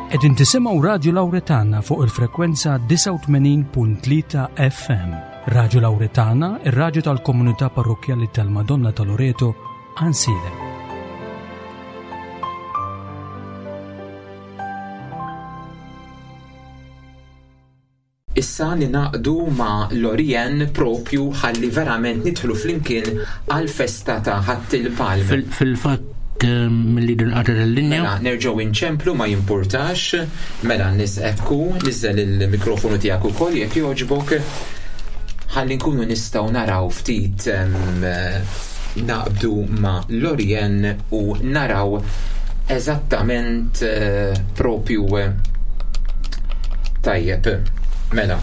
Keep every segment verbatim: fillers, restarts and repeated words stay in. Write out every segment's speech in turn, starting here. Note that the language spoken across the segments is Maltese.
Qegħdin tisimgħu Radio Lauretana fuq il-frekwenza disgħa u tmenin punt tlieta F M. Radio Lauretana, ir-radju tal-komunità parrokkjali tal-Madonna ta' Loreto, Għajnsielem. Issa ningħaqdu ma' Lorien propju ħalli verament nidħlu flimkien għal-festa ta' Ħadd il-Palm. Fil-fatt eh, mill-li dinqata l-linja. Mela, nerġgħu inċemplu, ma jimpurtax. Mela, nis ekku, niżel il-mikrofonu tiegħek ukoll jekk jogħġbok. Ħalli nkunu nistgħu naraw ftit em, naqbdu ma' Lorien u naraw eżattament eh, propju eh, tajjeb. Mela.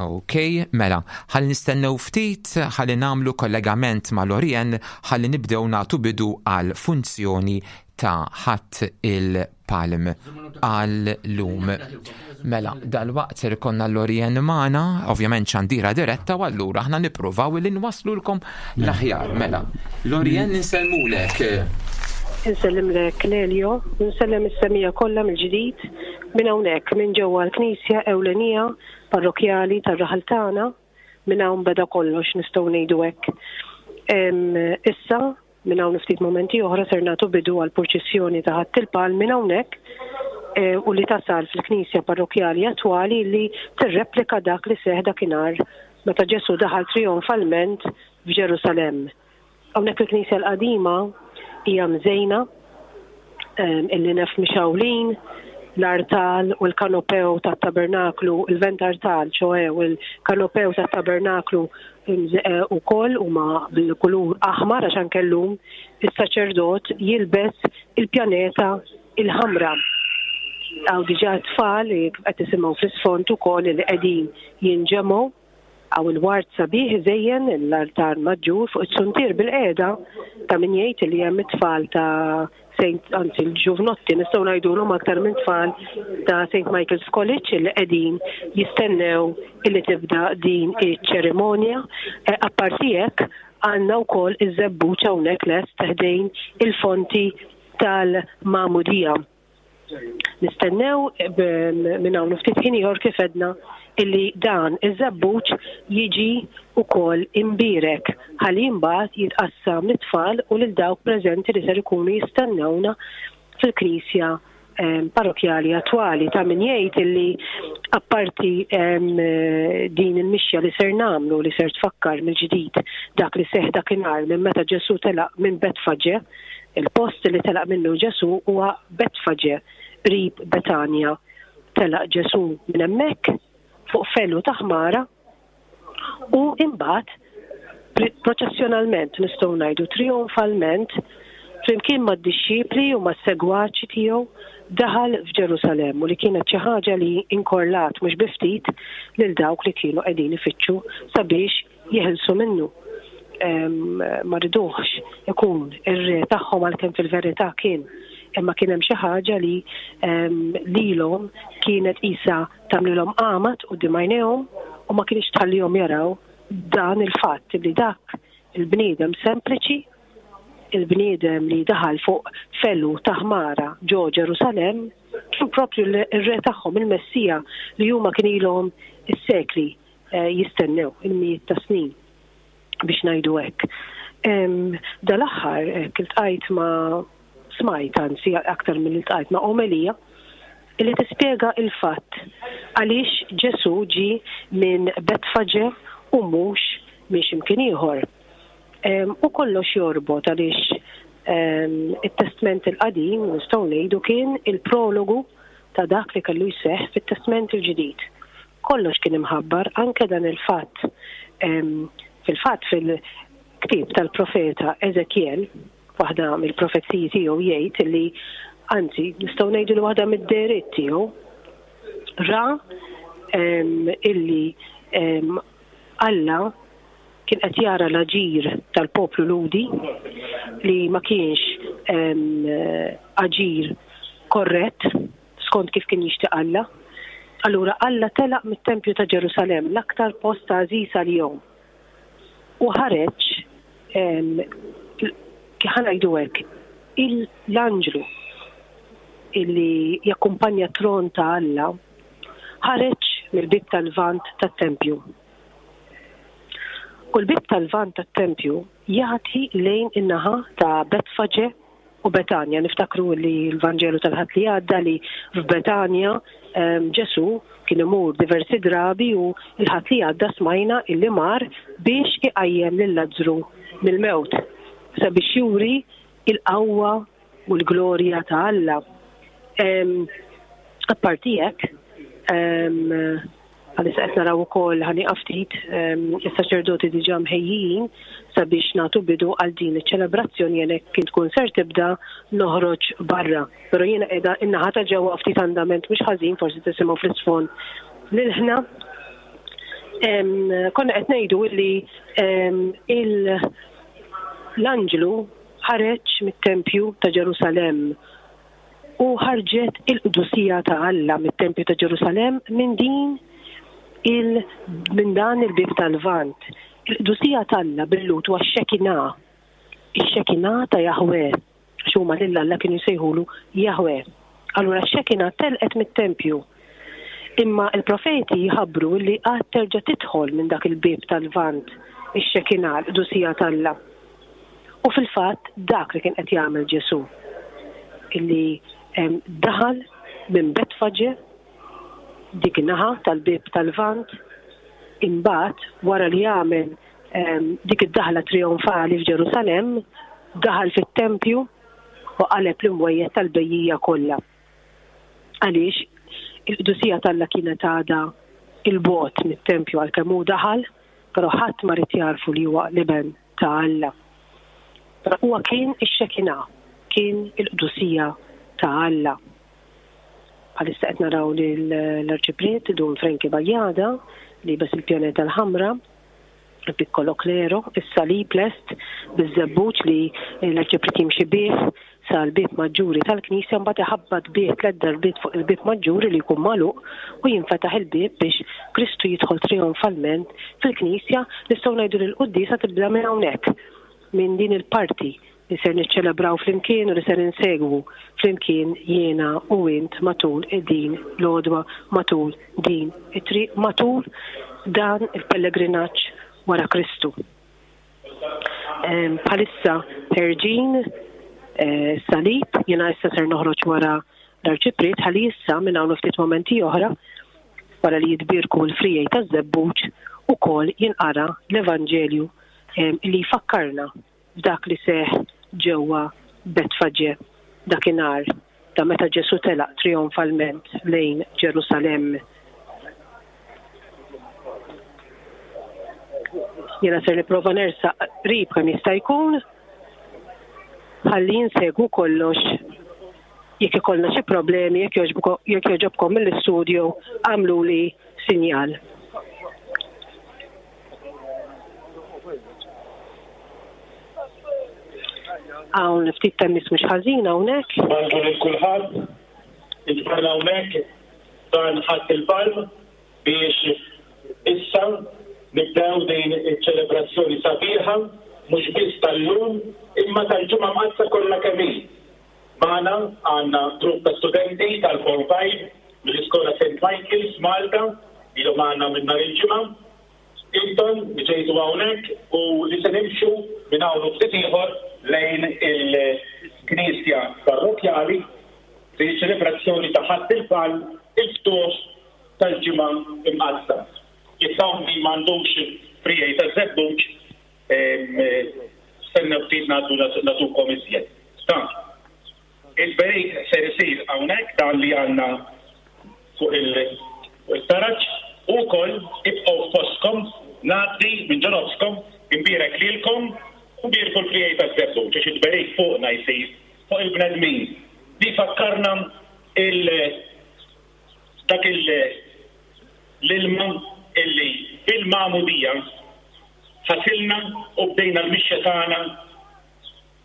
Ok, mela, ħalli nistennew ftit, ħalli nagħmlu kollegament ma' Lorien, ħalli nibdew nagħtu bidu għal funzjoni ta' Ħadd il-Palm għal lum. Mela, dal-waqt ser ikollna Lorien magħna, ovvjament xandira diretta, u allura aħna nippruvaw li nwaslulkom l-aħjar. Mela, Lorien, insellmulek. Insellimlek, Lelio, insellem is-semmiegħa kollha mill-ġdid minn hawnhekk minn ġewwa l-Knisja ewlenija parrokjali tar-raħal tagħna. Minn hawn beda kollox, nistgħu ngħidu hekk. Em, Issa minn hawn ftit momenti oħra ser nagħtu bidu għal purċissjoni ta' Ħadd il-Palm minn hawnhekk eh, u li tasal fil-Knisja parrokjali attwali li tirreplika dak li seħ dakinhar meta Ġesu daħal trionfalment f'Ġerusalemm. Hawnhekk il-Knisja l-qadima hija mżejna, em, il-linef mixgħulin, l-artal u l-kanopew tat-tabernaklu, il-ventartal, ċoè, u l-kanopew tat-tabernaklu u koll huma bil-kulur aħmar għax anke llum is-saċerdot jilbes il-pjaneta il-ħamra. Hawn diġà tfal li qed tisimgħu fl-isfond ukoll li qegħdin jinġemgħu. Hawn il-ward sabiħ iżejjen l-altar maġġur fuq it-suntier bil-qeda ta' min jgħid li hemm it-tfal ta' Saint, anzi l-ġuvnotti nistgħu ngħidulhom aktar minn tfal, ta' Saint Michael's College li qegħdin jistennew illi tibda din iċ-ċerimonja. Eh, Apparti hekk għandna wkoll iż-żebbuġ hawnhekk lest ħdejn il-fonti tal-Magħmudija. Nistennew b- minn hawn ftit ħin ieħor, kif għedna, illi dan iż-żebbuġ jiġi ukoll imbirek ħalli mbagħad jitqassam lit-tfal u lil dawk preżenti li ser ikunu jistennewna fil-knisja em, parrokjali attwali. Ta' min jgħid illi apparti em, din il-mixja li ser nagħmlu li ser tfakkar mill-ġdid dak li seħ dakinhar minn meta Ġesu telaq minn Betfaġe, il-post li telaq minnu Ġesu huwa Betfaġe qrib Betanja. Telaq Ġesu minn hemmhekk fuq felu ta' ħmara u imbagħad proċessjonalment, nistgħu ngħidu trionfalment, flimkien mad-dixxipli u mas-segwaċi tiegħu daħal f'Ġerusalemm, u li kienet xi ħaġa li inkorlat mhux bi ftit lil dawk li kienu qegħdin ifittxu sabiex jeħilsu minnu. Em, ma riduhx ikun ir-re tagħhom, għalkemm fil-verità kien, imma kien hemm xi ħaġa li em, lilhom kienet isa tagħmlilhom għamad quddiem għajnejhom u ma kienx tħallihom jaraw dan il-fatt li dak il-bniedem sempliċi, il-bniedem li daħal fuq felu ta' ħmara ġo Ġerusalemm, kien propju l-re tagħhom, il-Messija li huma kien ilhom is-sekli eh, jistennew, il-mijiet ta' snin biex ngħidu hekk. Em, Dal-aħħar eh, iltqajt ma' smajt, anzi aktar minn iltqajt ma' omelija illi tispjega il-fatt għaliex Ġesu ġi minn Betfaġe u mhux minn x'imkien ieħor. Em, U kollox jorbot għaliex em, it-Testment il-Qadim, nistgħu ngħidu, kien il-prologu ta' dak li kellu jseħħ fit-Testment il-Ġdid. Kollox kien imħabbar, anke dan il-fatt. Em, Fil-fatt fil-ktieb tal-profeta Ezekiel, waħda mill-profeziji tiegħu jgħid li, anzi nistgħu ngħidu li waħda mid-dehriet tiegħu, ra em, illi em, Alla kien qed jara l-aġir tal-poplu Lhudi li ma kienx em, aġir korrett skont kif kien jixtieq Alla. Allura Alla telaq mit-tempju ta' Ġerusalemm, l-aktar post għażiż għalihom. U ħareġ, ħa ngħidu hekk, l-anġlu illi jakkumpanja t-tron ta' Alla ħareġ mill-bieb tal-Lvant tat-tempju. U l-bieb tal-Lvant tat-tempju jagħti lejn in-naħa ta' Betfaġe u Betanja. Niftakru li l-Vanġelu tal-Ħadd li għadda li f'Betanja Ġesu kien imur diversi drabi u l-Ħadd li għadda smajna illi mar biex iqajjem lil Lazzru mill-mewt sabiex juri il-qawwa u l-glorja ta' Alla. Apparti hekk, għalissa qed naraw ukoll ħa nieqaf ftit is-saċerdoti diġà mħejjijin sabiex nagħtu bidu għal din iċ-ċelebrazzjoni. Jien kien tkun ser tibda noħroġ barra. Però jiena qiegħda in-naħa ta' ġewwa, ftit andament mhux ħażin, forsi tisimgħu fl-isfond lil-ħna. Konna qed ngħidu illi l-anġlu ħareġ mit-tempju ta' Ġerusalemm u ħarġet il-qdusija ta' Alla mit-tempju ta' Ġerusalemm minn din il minn dan il-bieb tal-Lvant. Il-qdusija t'Alla bil-Lhud huwa x-Xekina. Ix-Xekina ta' Jahwe. Għax huma lil Alla kienu jsejħulu Jahwe. Allura x-Xekina telqet mit-tempju. Imma il-profeti jħabbru li għad terġa' tidħol minn dak il-bieb tal-Lvant ix-Xekina, l-qdusija t'Alla. U fil-fatt dak li kien qed jagħmel Ġesu, illi daħal minn Betfaġe, dik in-naħa tal-bieb tal-Lvant, imbagħad wara li għamel dik id-daħla trionfali f'Ġerusalemm, daħal fit-tempju u qaleb l-imwejjed tal-bejjija kollha. Għaliex il-qdusija t'Alla kienet għadha il-bogħod mit-tempju għalkemm hu daħal, però ħadd ma rid jarfu li huwa l-iben ta' Alla. Però huwa kien ix-Xekina, kien il-qdusija ta' Alla. Bħalissa qed naraw l-Arċipriet Dun Frankie Bajada li bes il-pjaneta l-ħamra, il-piccolo clero, is-salib lest biż-żebbuġ li l-Arċipriet jimxi bih sal-bieb maġġuri tal-Knisja, mbagħad iħabbat bih tliet darbiet fuq il-bieb maġġuri li jkun magħluq u jinfetaħ il-bieb biex Kristu jidħol trionfalment fil-Knisja. Nistgħu ngħidu li l-quddiesa tibda minn hawnhekk, minn din il-parti li ser niċċelebraw flimkien u li ser insegwu flimkien jiena u int matul din l-għodwa, matul din it-triq, matul dan il-pellegrinaġġ wara Kristu. Bħalissa ħerġin salib, jiena issa ser noħroġ wara l-Arċipriet ħalli issa minn hawn ftit momenti oħra wara li jitbierku l-frijej taż-żebbuġ ukoll jinqara l-Evanġelju li jfakkarna f'dak li seħ ġewwa Betfaġe dakinhar ta' meta Ġesu telaq trionfalment lejn Ġerusalemm. Jiena ser nipprova nersaq qrib kemm jista' jkun ħalli insegwu kollox. Jekk ikollna xi problemi, jekk jogħġobkom mill-istudio, għamluli sinjal. Hawn ftit tennis mhux ħażin hawnhekk. Bonġu lil kulħadd, inġbarna hawnhekk dan Ħadd il-Palm biex issa nibdew din iċ-ċelebrazzjoni sabiħa mhux biss tal-lum imma tal-Ġimgħa Mqaddsa kollha kemm hi. Magħna għandna grupp ta' studenti tal-Form Five mill-Iskola Saint Michael's Malta ilhom magħna minn nhar il-Ġimgħa. Intom li ġejtu hawnhekk u li se nimxu minn hawn u ftit ieħor lejn il-Knisja Parrokkjali fi ċelebrazzjoni ta' Ħadd il-Palm, il-ftuħ tal-Ġimgħa Imqaddsa. Jekk hawn min m'għandux frijej taż-żebbuġ, stennew ftit ngħaddu nagħtukom iżjed. Il-berik ser isir hawnhekk dan li għandna fuq il-taraġ u wkoll ibqgħu f'postkom, ngħaddi minn ġo nofskom, imbierek lilkom u mbierku l-frijej taż-żebbuġ għax il-berik fuqna jsir fuq il-bnedmin. Li fakkarna il dak l-ilma illi bil-magħmudija ħasilna u bdejna l-mixja tagħna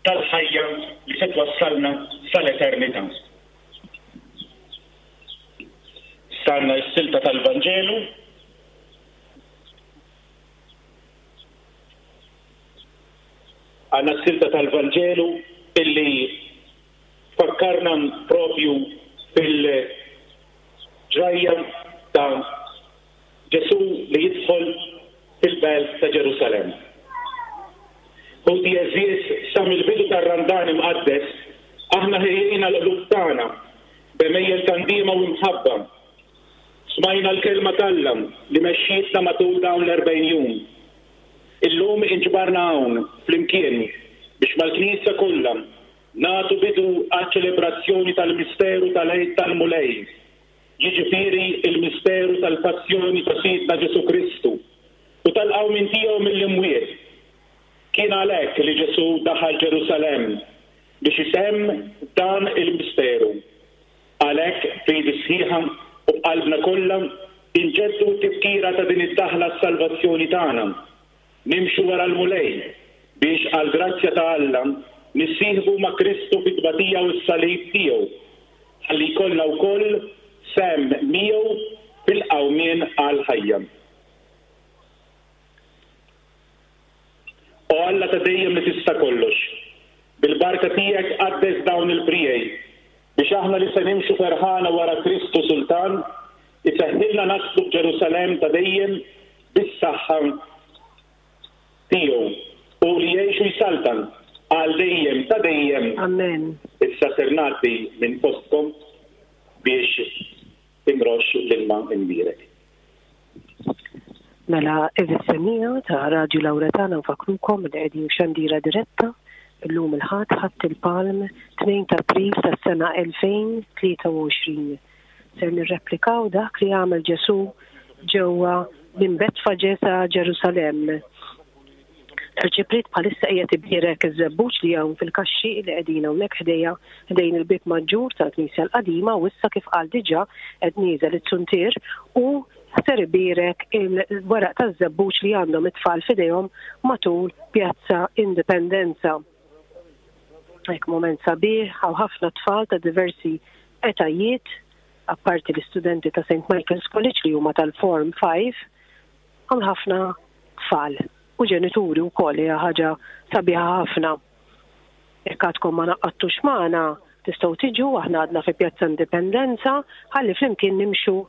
tal-ħajja li se twassalna sal-eternità. Stanna s-silta tal-Vanġelu. Għandna s-silta tal-Vanġelu illi fakkarna propju tar-Randan imqaddes, aħna ħejjejna l-qlub tagħna b'għemejjel ta' ndiema u mħabba. Smajna l-kelma t'Alla li mexxietna matul dawn l-erbgħin jum. Illum inġbarna hawn flimkien biex mal-Knisja kollha nagħtu bidu għaċ-ċelebrazzjoni tal-misteru tal-Għid tal-Mulej, jiġifieri il-misteru tal-passjoni ta' Sidna Ġesù Kristu u tal-qawmien tiegħu mill-imwiet. Kien għalhekk li Ġesù daħal Ġerusalemm biex itemm dan il-misteru. Għalhekk b'fidi sħiħa u b'qalbna kollha inġeddu t-tifkira ta' din id-daħla s-salvazzjoni tagħna. Nimxu wara l-Mulej biex għall-grazzja ta' Alla nissieħbu ma' Kristu fit-tbatija u s-salib tiegħu, ħalli jkollna wkoll sehem miegħu fil-qawmien għall-ħajja. O Alla ta' dejjem li tista' kollox, bil-barka tiegħek qaddes dawn il-prijej biex aħna li se nimxu ferħana wara Kristu Sultan, iseħħilna naslu f'Ġerusalemm ta' dejjem bis-saħħa tiegħu u li jgħixu jsaltan għal dejjem ta' dejjem. Amen. Issa ser ngħaddi minn postkom biex imrox l-ilma imbierek. Mela, għeżież semmiegħa ta' Radju Lawretana, nfakrukom li qegħdin xandira diretta illum il-Ħadd, Ħadd il-Palm, tnejn ta' April tas-sena elfejn tlieta u għoxrin. Ser nirreplikaw dak li għamel Ġesù ġewwa minn Betfaġe sa Ġerusalemm. L-Arċipriet bħalissa qiegħed ibierek iż-żebbuġ li hawn fil-kaxxi li qegħdin hawnhekk ħdejja ħdejn il-bieb maġġur tal-Knisja l-Qadima, u issa kif qal diġà qed nieżel it-suntier u ser ibierek il-weraq taż-żebbuġ li għandhom it-tfal f'idejhom matul Pjazza Indipendenza. Hekk moment sabiħ, hawn ħafna tfal ta' diversi etajiet, apparti l-istudenti ta' Saint Michael's College li huma tal-Form five, hawn ħafna tfal u ġenituri wkoll, hija ħaġa sabiħa ħafna. Jekk għadkom ma naqattux magħna, tistgħu tiġu, aħna għadna fi Pjazza Indipendenza, ħalli flimkien nimxu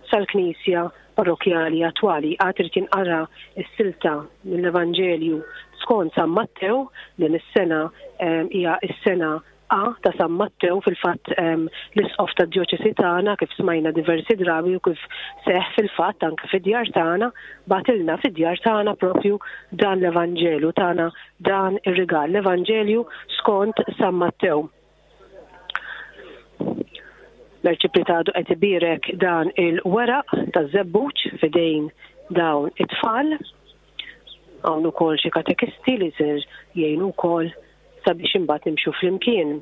sal-Knisja Parrokjali attwali. Għad irid jinqara s-silta mill-Evanġelju skont San Mattew, din is-sena, ehm, hija s-sena A ta' San Mattew, fil-fatt, ehm, l-isqof tad-djoċesi tagħna kif smajna diversi drabi u kif seħ fil-fatt anke fid-djar tagħna, batilna fid-djar tagħna propju dan l-Evanġelju tagħna, dan ir-rigal, l-Evanġelju skont San Mattew. L-Arċipriet għadu qed ibierek dan il-weraq taż-żebbuġ f'idejn dawn it-tfal. Hawn ukoll xi katekisti li ser jgħinu wkoll sabiex imbagħad nimxu flimkien.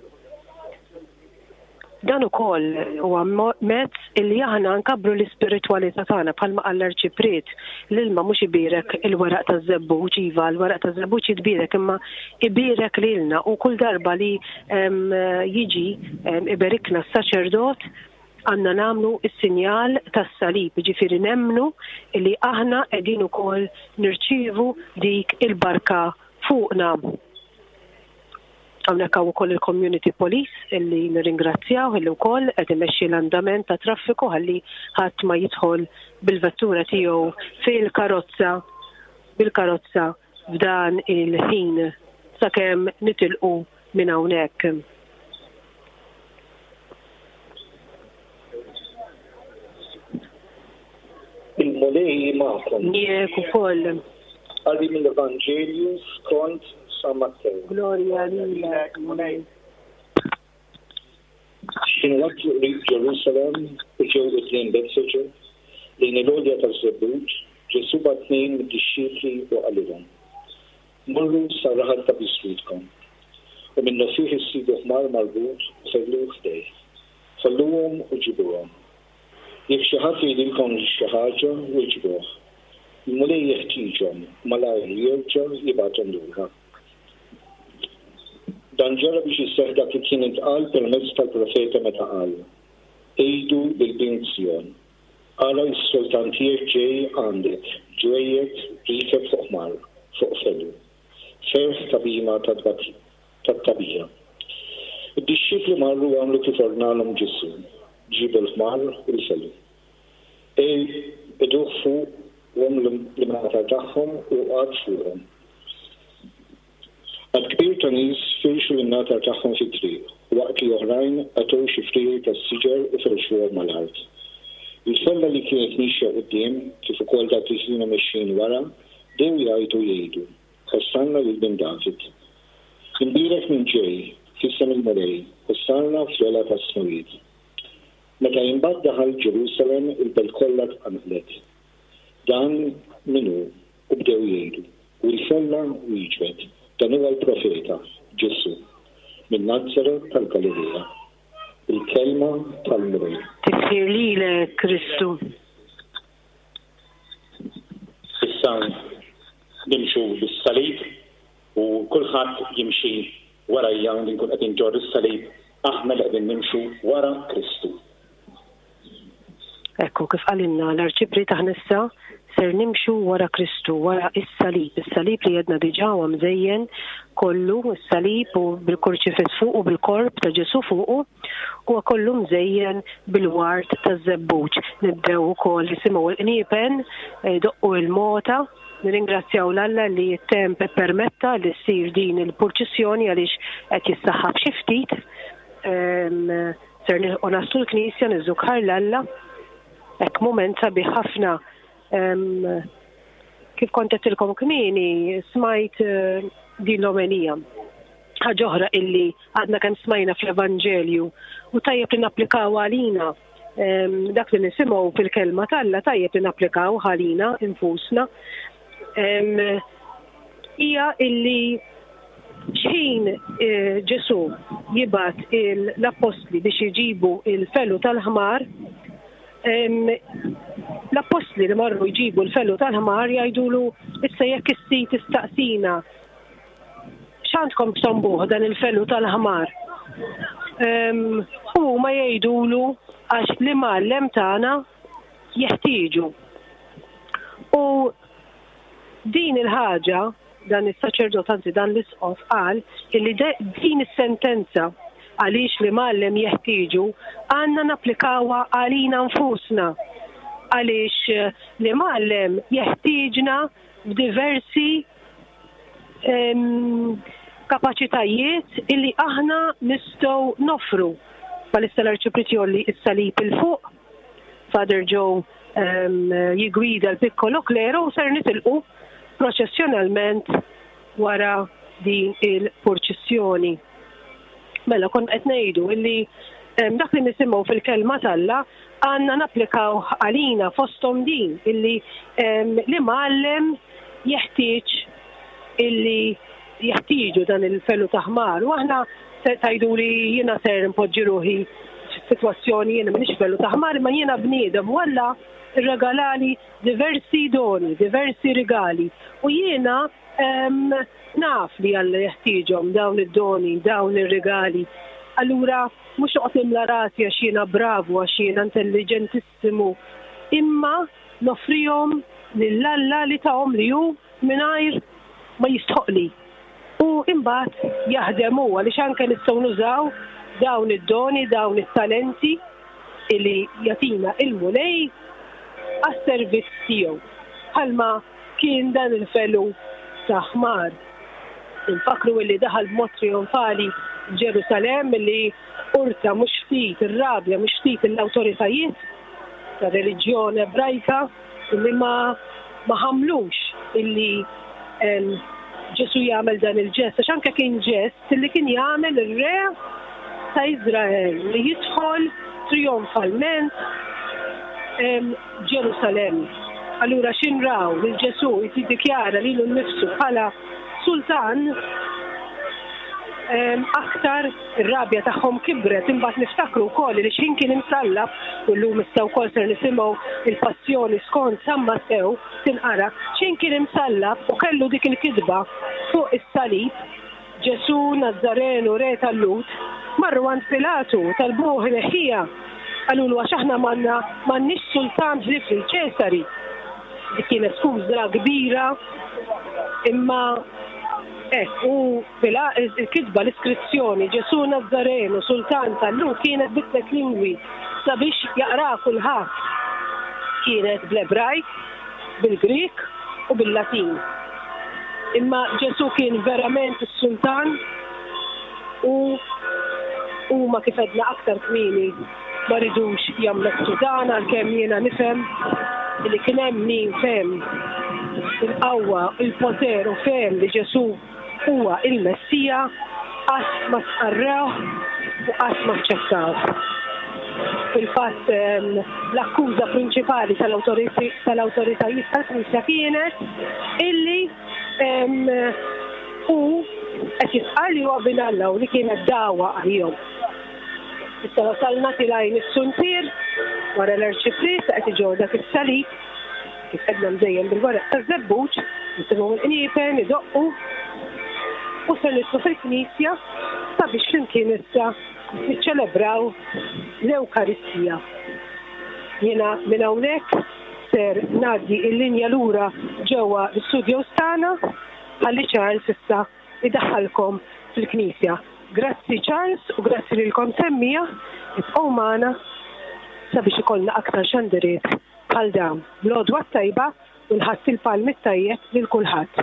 Dan ukoll huwa mo-, mezz illi aħna nkabbru l-ispiritwalità tagħna, bħalma qal l-Arċipriet, l-ilma mhux ibierek il-weraq taż-żebbuġ, iva l-weraq taż-żebbuġ jitbierek, imma ibierek lilna, u kull darba li, em, jiġi, em, iberikna s-saċerdot għandna nagħmlu s-sinjal tas-salib, jiġifieri nemmnu li aħna qegħdin ukoll nirċievu dik il-barka fuqna. Hawnhekk hawn ukoll il-Community Police illi nirringrazzjaw illi wkoll qed imexxi l-andament ta' traffiku ħalli ħadd ma jidħol bil-vettura tiegħu fil-karozza, bil-karozza f'dan il-ħin sakemm nitilqu minn hawnhekk. Il-Mulej magħkom. Miegħek ukoll. Qari mill-Evanġelju skont San Mattew. Glorja lilek, Mulej. X'inhu waslu qrib Ġerusalemm u ġew quddiem Betfaġe, lejn il-għolja taż-Żebbuġ, Ġesù bagħat tnejn mid-dixxipli u qalilhom: Morru sar-raħal ta' biswitkom, u minnu fih issibu ħmar marbut u ħelluh ħdejh. Ħalluhom u ġibuhom. Jekk xi ħadd jgħidilkom xi ħaġa, wieġbuh. Il-Mulej jeħtieġhom u malajr jerġa' jibgħathom lura. Dan ġara biex isseħħ dak li kien intqal permezz tal-profeta meta qal: Għidu lil bint Sion, ara s-sultan tiegħek ġej għandek, ġwejjed riekeb fuq ħmar, fuq felu, ferħ ta' bhima tat-tagħbija. Id-dixxipli marru għamlu kif ordnalhom Ġesù, ġibu l-ħmar u l-felu. Ej, iduh fuqhom l-imratar tagħhom u qagħad fuqhom. Għad kbir ta' nies firxu l-imnatar tagħhom fit-triq, waqt li oħrajn qatgħu xi friegħi tas-siġar u ferxuhom mal-art. Il-folla li kienet mixja quddiem, kif ukoll dawk li kienu mexjin wara, bdew jgħajtu jgħidu: "Ossanna lil bin David. Imbierek min ġej f'isem il-Mulej, Ossanna fl-ogħla tas-smewwiet." Meta imbagħad daħal Ġerusalemm, il-belt kollha tqanqlet. "Dan min hu?" U bdew jgħidu. U l-folla wieġbet: "Dan huwa l-profeta Ġesù minn Nazaret tal-Galilea." Il-kelma tal-Mulej. Tifħir lilek, Kristu. Issa nimxu bis-salib u kulħadd jimxi warajja li nkun qed inġorr is-salib, aħna li qegħdin nimxu wara Kristu. Ekku, kif qalilna l-Arċipriet, aħna issa ser nimxu wara Kristu, wara is-salib, is-salib li għedna diġà huwa mżejjen kollu, is-salib u bil-kurċifiss fuq u bil-korp ta' Ġesù fuqu, huwa kollu mżejjen bil-ward taż-żebbuġ. Nibdew ukoll nisimgħu l-qniepen, doqqu il-mota. Nirringrazzjaw 'l Alla li t-temp permetta li ssir din il-purċissjoni għaliex qed jissaħħab xi ftit. Ser nilħqu naslu l-knisja, niżżukħar 'l Alla. Hekk mument sabiħ ħafna. Kif kont għedtilkom kmieni, smajt eh, din l-omelija. Ħaġa oħra illi għadna kemm smajna fl-Evanġelju u tajjeb li napplikaw għalina, dak li nisimgħu fil-kelma t'Alla tajjeb li napplikaw għalina infusna. Hija illi xħin eh, Ġesù jibgħat l-appostli biex jġibu il-felu tal-ħmar, l-appostli li marru jġibu l-felu tal-ħmar jgħidulu: "Issa jekk is-sid tistaqsina x'għandkom bżonn dan il-felu tal-ħmar?" U ma jgħidulu: "Għax l-imgħallem tagħna jeħtieġu." U din il-ħaġa, dan is-saċerdot, anzi dan l-isqof qal illi din is-sentenza, "għaliex l-imgħallem jeħtieġu", għandna napplikawha għalina nfusna, għaliex l-imgħallem jeħtieġna f'diversi kapaċitajiet illi aħna nistgħu noffru. Bħalissa l-Arċipriet jgħolli is-salib 'il fuq, Father Joe jigwida l-piccolo clero u ser nitilqu proċessjonalment wara din il-purċissjoni. Mela kont qed ngħidu illi dak li nisimgħu fil-kelma t'Alla għandna napplikaw għalina, fosthom din illi l-imgħallem jeħtieġ, illi jeħtieġu dan il-felu ta' ħmar. U aħna tgħidu li jiena ser npoġġi ruħi f'sitwazzjoni, jiena m'iniex felu ta' ħmar, imma jiena bniedem u Alla rregalali diversi doni, diversi rigali. U jiena naf li Alla jeħtieġhom dawn id-doni, dawn ir-rigali. Allura mhux noqgħod nimla rasi għax jiena bravu, għax jiena intelligentissimu, imma noffrihom lil Alla li tahom li hu mingħajr ma jistħoqli. U imbagħad jaħdem hu, għaliex anke nistgħu nużaw dawn id-doni, dawn it-talenti illi jagħtina il-Mulej għas-servizz tiegħu. Bħalma kien dan il-felu ta' ħmar. Infakru illi daħal b'mod trionfali Ġerusalemm, illi urta mhux ftit ir-rabja, mhux ftit l-awtoritajiet ta' reliġjon Ebrajka, illi ma ma ħamlux illi Ġesu jagħmel dan il-ġest, għax anke kien ġest illi kien jagħmel ir-re ta' Izrael li jidħol trionfalment Ġerusalemm. Allura x'ħin raw lil Ġesu jiddikjara lilu nnifsu bħala sultan, aktar ir-rabja tagħhom kibret. Imbagħad niftakru wkoll li x'ħin kien imsallab, u llum issa wkoll ser nisimgħu il-passjoni skont San Mattew tinqara, x'ħin kien imsallab u kellu dik il-kitba fuq is-salib, "Ġesu Nazzarenu, re tal-Lhud", marru għand Pilatu talbuh ineħħiha. Qalulu: "Għax aħna m'għandna m'għandniex sultan ħlief lil Ċesari." Dik kienet skuża kbira, imma hekk u il-kitba, l-iskrizzjoni "Ġesu Nazzarenu, sultan tal-Lhud" kienet bi tliet lingwi sabiex jaqra kulħadd. Kienet bl-Ebrajk, bil-Grik u bil-Latin. Imma Ġesu kien verament is-sultan? U huma kif għedna aktar kmieni ma ridux jammettu dan, għalkemm jiena nifhem li kien hemm min fehem il-qawwa, il-poter u fehem li Ġesù huwa il-Messija, qatt ma stqarrewh u qatt ma aċċettawh. Fil-fatt l-akkuża prinċipali tal-awtoritajiet tal-Knisja kienet illi hu qed jistqarr li huwa bin Alla u li kienet dagħwa għalihom. Issa wasalna tilgħin is-suntier wara l-arċipriet qed iġorr dak is-salib kif għedna mżejjen bil-weraq taż-żebbuġ, nisimgħu l-qniepen idoqqu u se nidħlu fil-Knisja sabiex flimkien issa niċċelebraw l-Ewkaristija. Jiena minn hawnhekk ser ngħaddi l-linja lura ġewwa l-istudios tagħna ħalli Charles issa idaħħalkom fil-Knisja. Grazzi Charles u grazzi lilkom semmiegħa, ibqgħu magħna sabiex ikollna aktar xandiriet bħal dawn. L-għodwa t-tajba u l-Ħadd il-Palmi t-tajjeb lil kulħadd.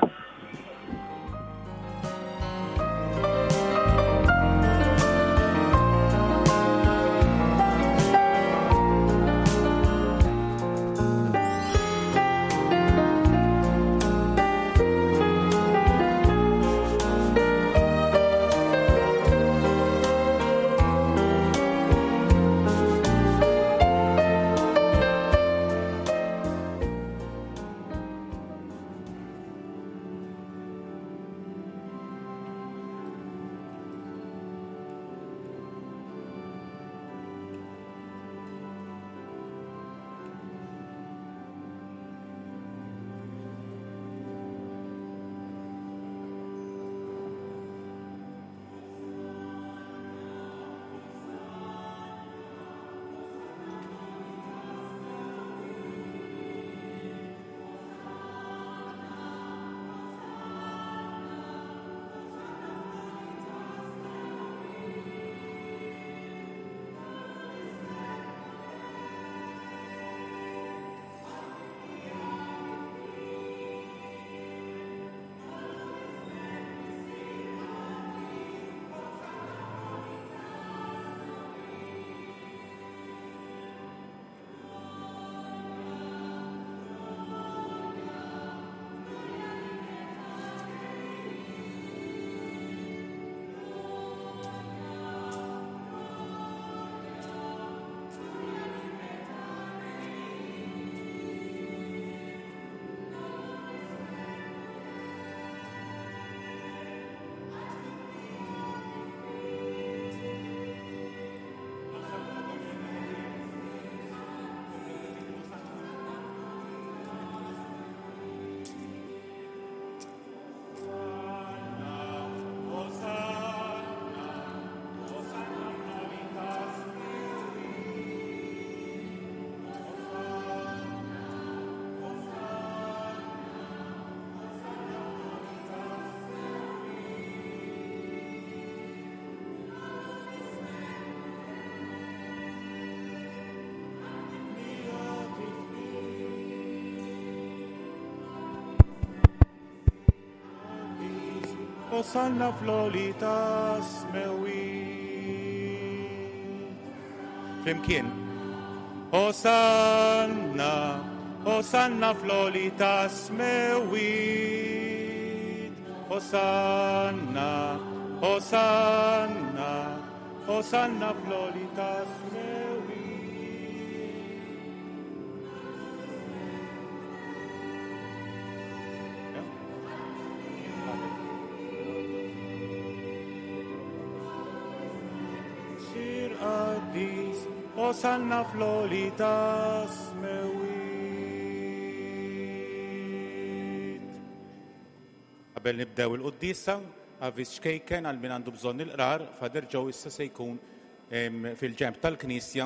Osanna fl-għoli tas-smewwiet. Flimkien. Osanna, Osanna fl-għoli tas-smewwiet. Osanna, Osanna, Osanna fl-għoli tas-smewwiet. Osanna fl-għoli tas-smewwiet. Qabel nibdew il-quddiesa, avviż ċkejken għal min għandu bżonn il-qrar, Father Joe issa se jkun fil-ġenb tal-Knisja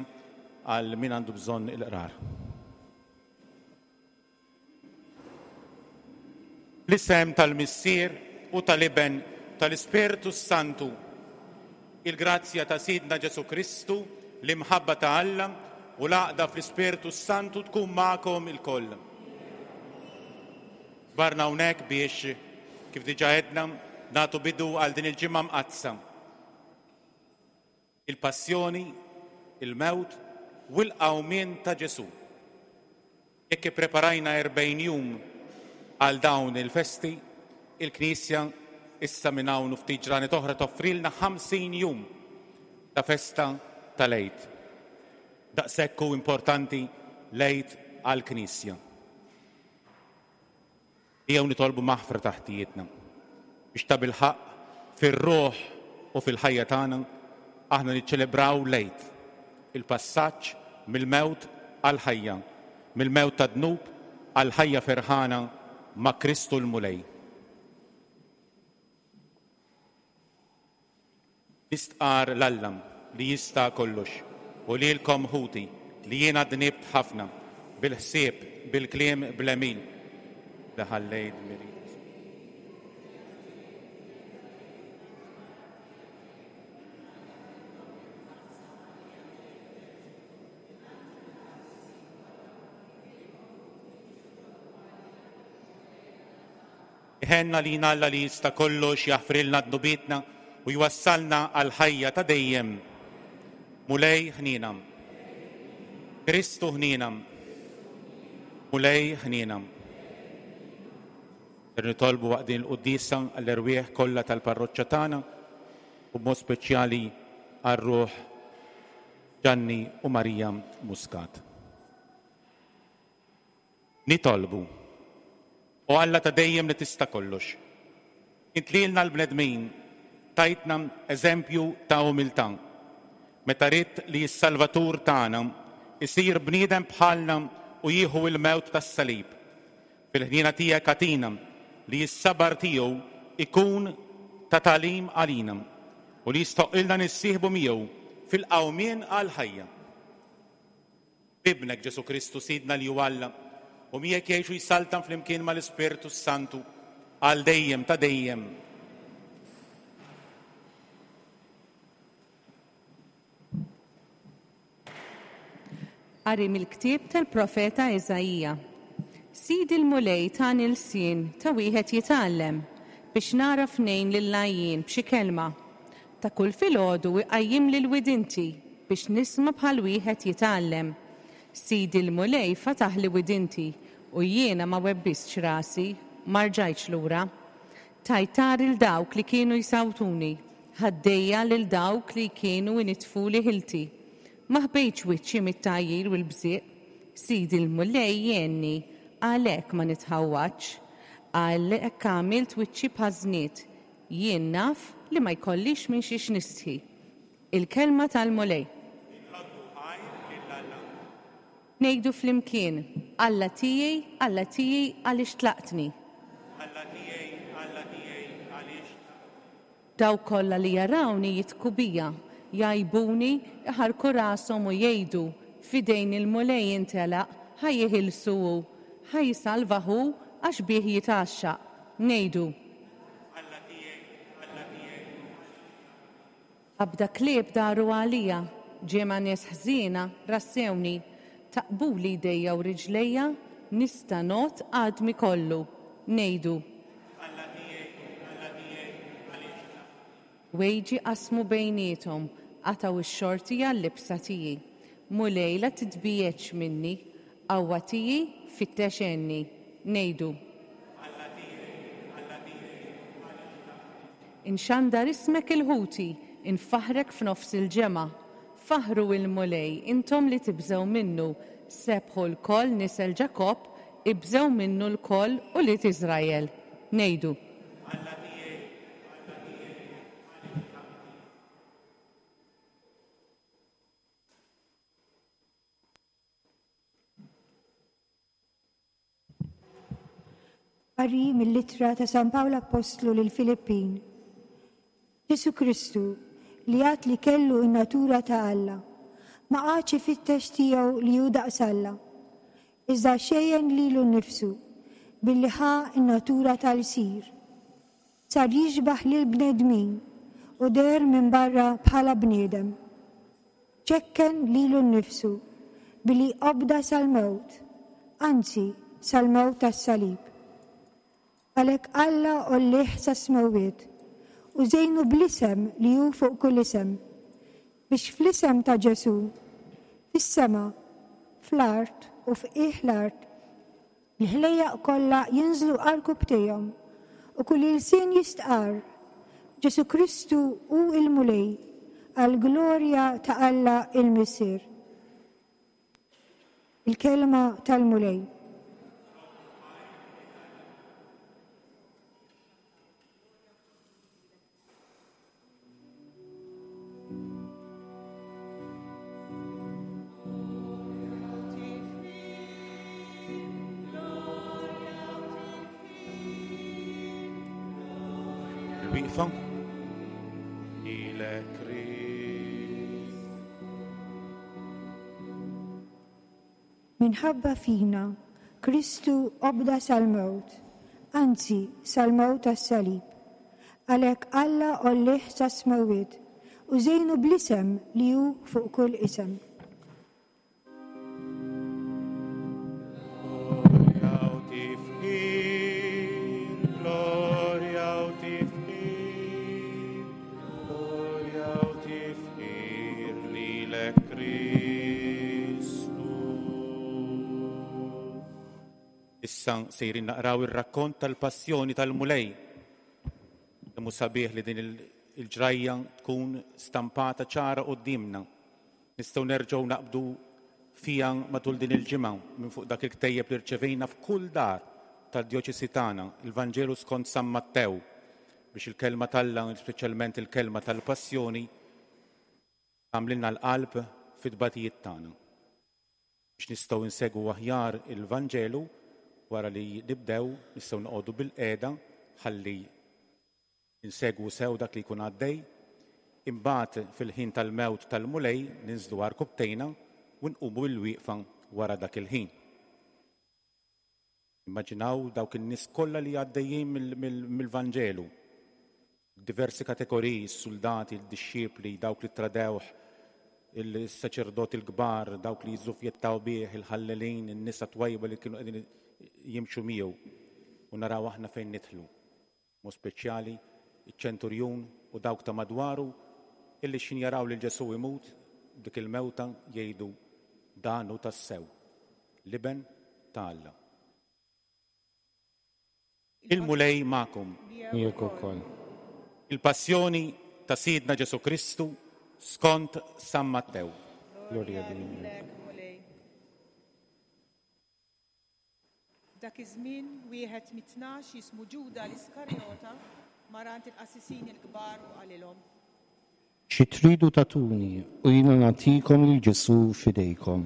għal min għandu bżonn il-qrar. L-isem tal-Missier u tal-Iben tal-Ispirtu Santu, il-grazzja ta' Sidna Ġesu Kristu, l-imħabba ta' Alla u l-għaqda fl-Ispirtu Santu tkun magħkom ilkoll. Barna hawnhekk biex, kif diġà għedna, nagħtu bidu għal din il-ġimgħa mqaddsa. Il-passjoni, il-mewt u l-qawmien ta' Ġesù. Jekk ippreparajna erbgħin jum għal dawn il-festi, il-Knisja issa minn hawn u ftit ġranet oħra toffrilna ħamsin jum ta' festa tal-Għid. Daqshekk hu importanti l-Għid għall-Knisja. Ejjew nitolbu maħfra ta' ħtijietna biex tabilħaqq fir-ruħ u fil-ħajja tagħna aħna niċċelebraw l-Għid, il-passaġġ mill-mewt għall-ħajja, mill-mewt tad-dnub għall-ħajja ferħana ma' Kristu l-Mulej. Nistqar 'l Alla li jista' kollox u lilkom ħuti li jiena dnibt ħafna bil-ħsieb, bil-kliem, bl-għemil li ħallejt dmirijiet. Iħenna lina Alla li jista' kollox jaħfrilna dnubietna u jwassalna għal ħajja ta' dejjem. Mulej ħniena. Kristu ħniena. Mulej ħniena. Ser nitolbu waqt din il-quddiesa għall-erwieħ kollha tal-parroċċa tagħna u b'mod speċjali għar-ruħ Ġanni u Marija Muscat. Nitolbu. O Alla ta' dejjem li tista' kollox, int lilna l-bnedmin tajtna eżempju ta' umiltà, meta ridt li s-Salvatur tagħna isir bniedem bħalna u jieħu l-mewt tas-salib. Fil-ħniena tiegħek agħtina li s-sabar tiegħu ikun ta' tagħlim għalina u li jistoqilna nissieħbu miegħu fil-qawmien għall-ħajja. B'Ibnek Ġesù Kristu Sidna li hu Alla, u miegħek jgħixu jsaltan flimkien mal-Ispirtu Santu għal dejjem ta' dejjem. Qari mill-ktieb tal-profeta Iżaija. Sidi l-Mulej tani lsien ta' wieħed jitgħallem biex nagħraf ngħin lill-għajjien b'xi kelma. Ta' kull filgħodu iqajjimli l-widinti biex nisma' bħal wieħed jitgħallem. Sidi l-Mulej fataħli widinti u jiena ma webbistx rasi, ma rġajtx lura. Tajtar il dawk li kienu jsawtuni, ħaddejja lil dawk li kienu initfuli ħilti. Ma ħbejtx wiċċi mit-tgħajjir u l-bżieq. Sidi l-Mulej jgħinni, għalhekk ma nitħawwadx. Għalhekk għamilt wiċċi bħażniet. Jien naf li ma jkollix minn xiex nistħi. Il-kelma tal-Mulej. Ngħidu flimkien, Alla tiegħi, Alla tiegħi, għaliex tlaqtni? Alla tiegħi, Alla tiegħi, għaliex tlaqtni? Dawk kollha li jarawni jitku bija, jgħajbuni, iħarku rashom u jgħidu, f'idejn il-Mulej intelaq, ħa jeħilsu hu, ħa jsalva hu għax bih jitgħaxxaq. Ngħidu. Alla tiegħi, Alla tiegħi, għaliex tlaqtni? Qabda klieb daru għalija, ġemgħa nies ħżiena rassewni, taqbuli jdejja u riġlejja, nista' ngħodd għadmi kollu. Ngħidu. Alla tiegħi, Alla tiegħi, għaliex tlaqtni? Wejġi qasmu bejniethom, qatgħu x-xorti għal-libsa tiegħi. Mulej la titbiegħedx minni, qawwa tiegħi fittex għenni. Ngħidu. Alla tiegħi, Alla tiegħi, għaliex tlaqtni? Inxandar ismek il-ħuti, infaħrek f'nofs il-ġemgħa. Faħru il-Mulej, intom li tibżgħu minnu, sebħu lkoll nisel Ġakobb, ibżgħu minnu lkoll ulied Iżrael. Ngħidu. Alla tiegħi, Alla tiegħi, għaliex tlaqtni? Qari mill-ittra ta' San Pawl Appostlu lil Filippin. Ġesù Kristu, li għad li kellu n-natura ta' Alla, ma qagħadx ifittex tiegħu li hu daqs Alla, iżda xejjen lilu nnifsu billi ħa n-natura tal-sir. Sar jixbaħ lil bnedmin u deher minn barra bħala bniedem. Ċekken lilu nnifsu billi obda sal-mewt, anzi sal-mewt tas-salib. Għalhekk Alla għollih sas-smewwiet u żejnu bl-isem li hu fuq kull isem, biex fl-isem ta' Ġesù, fis-sema, fl-art u f'qiegħ l-art, il-ħlejjaq kollha jinżlu għarkupptejhom u kull ilsien jistqarr Ġesù Kristu hu l-Mulej għall-glorja ta' Alla il-Missier. Il-kelma tal-Mulej. Il-wieqfa. Lilek Krist. Minħabba fina, Kristu obda sal-mewt, anzi sal-mewt tas-salib. Għalhekk Alla għollih sas-smewwiet u żejnu bl-isem li hu fuq kull isem. Glorja u tifħir, glorja u tifħir, glorja u tifħir lilek Kristu. Issa sejrin naqraw ir-rakkont tal-passjoni tal-Mulej. Kemm hu sabiħ li din il- il-ġrajja tkun stampata ċara quddiemna. Nistgħu nerġgħu naqbdu fija matul din il-ġimgħa minn fuq dak il-ktejjeb li rċevejna f'kull dar tad-djoċesi tagħna, il-Vanġelu skont San Mattew, biex il-kelma t'Alla, speċjalment il-kelma tal-passjoni, tagħmlilna l-qalb fit-tbatijiet tagħna. Biex nistgħu nsegwu aħjar il-Vanġelu wara li nibdew nistgħu noqogħdu bil-qiegħda ħalli insegwu sew dak li jkun għaddej, imbagħad fil-ħin tal-mewt tal-Mulej ninżlu għarkupptejna u nqumu bil-wieqfa wara dak il-ħin. Immaġinaw dawk in-nies kollha li għaddejjin mill-, mill-, mill-Vanġelu, diversi kategoriji, s-soldati, il-dixxipli, dawk li tradewh, il-saċerdoti l-kbar, dawk li jiżżufjettaw bih, il-ħallelin, in-nisa twajba li kienu qegħdin jimxu miegħu. U naraw aħna fejn nidħlu. Mod speċjali iċ-ċenturjun u dawk ta' madwaru illi xin jaraw lil Ġesù imut dik il-mewta jgħidu dan hu tassew, l-Iben ta' Alla. Il-Mulej magħkom. Miegħek ukoll. Il-passjoni ta' Sidna Ġesù Kristu skont San Mattew. Glorja lilek. Mulej. Dak iż-żmien wieħed mit-tnax jismu Ġuda l-Iskarjota mar għand il-qassisin il-kbar u qalilhom. Xi tridu tagħtuni u jiena nagħtikom lil Ġesù f'idejkom.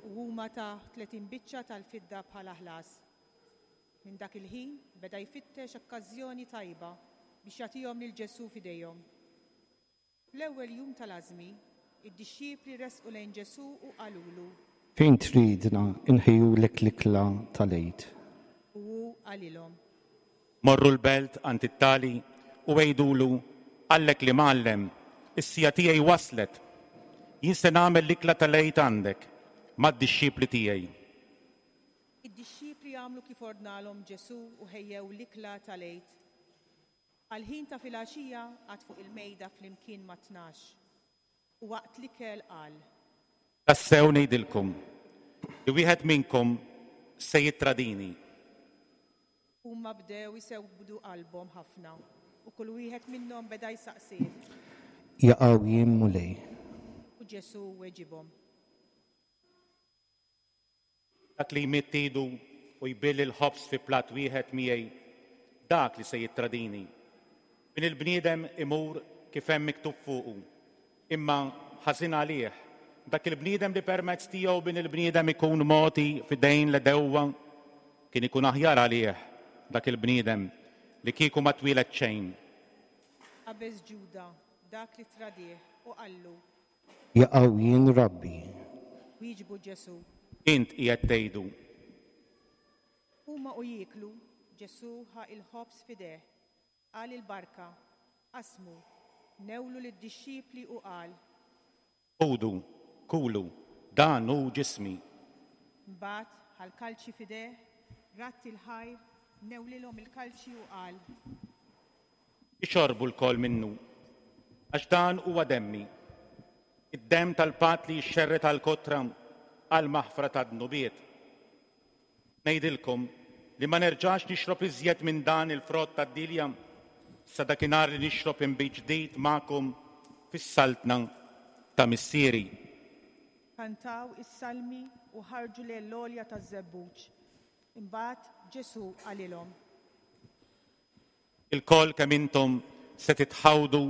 U huma ta' tletin biċċa tal-fidda bħala ħlas. Minn dak il-ħin beda jfittex okkażjoni tajba biex jagħtihom lil Ġesù f'idejhom. Fl-ewwel jum tal-għażmi, id-dixxipli resqu lejn Ġesù u qalulu. Fejn tridna nħejjulek l-ikla tal-Għid? U hu qalilhom. Morru l-belt għand it-tali u għidulu qallek l-Imgħallem, is-siegħa tiegħi waslet. Jien se nagħmel l-ikla tal-Għid għandek mad-dixxipli tiegħi. Id-dixxipli għamlu kif ordnalhom Ġesù u ħejjew l-ikla tal-Għid. Għal-ħin ta' filgħaxija qagħad fuq il-mejda flimkien ma' tnax. U waqt l-ikel qal. Tassew ngħidilkom li wieħed minnkom se jittradini. Huma bdew isewdu qalbhom ħafna u kull wieħed minnhom beda jsaqsih. Jaqaw jien Mulej. U Ġesù weġibhom. Dak li jmidd idu u jbill il-ħobż fi platt wieħed miegħi, dak li se jittradini. Bin il-bniedem imur kif hemm miktub fuqu, imma ħażin għalih dak il-bniedem li permezz tiegħu bin il-bniedem ikun mogħti f'idejn l-għedewwa, kien ikun aħjar għalih dak il-bniedem li kieku ma twieled xejn. Qabeż Ġuda, dak li tradih, u qallu. Jaqaw jien Rabbi. Wieġbu Ġesù. Int qiegħed tgħidu. Huma u jieklu, Ġesù ħa il-ħobż f'idejh, qal il-barka, qasmu, newlu lid-dixxipli u qal. Ħudu, kulu, dan hu ġismi. Mbagħad ħa l-kalċi f'idejh, radd il-ħajr, newlilhom il-kalċi u qal. Ixorbu lkoll minnu, għax dan huwa demmi, id-demm tal-patt li jixxerred għall-kotra għall-maħfra tad-dnubiet. Ngħidilkom li ma nerġax nixrob iżjed minn dan il-frott tad-dielja sa dakinhar li nixrob inbid ġdid magħkom fis-saltna ta' Missieri. Kantaw is-salmi u ħarġu lejn l-għolja taż-Żebbuġ. Imbagħad Ġesù qalilhom. Ilkoll kemm intom se titħawdu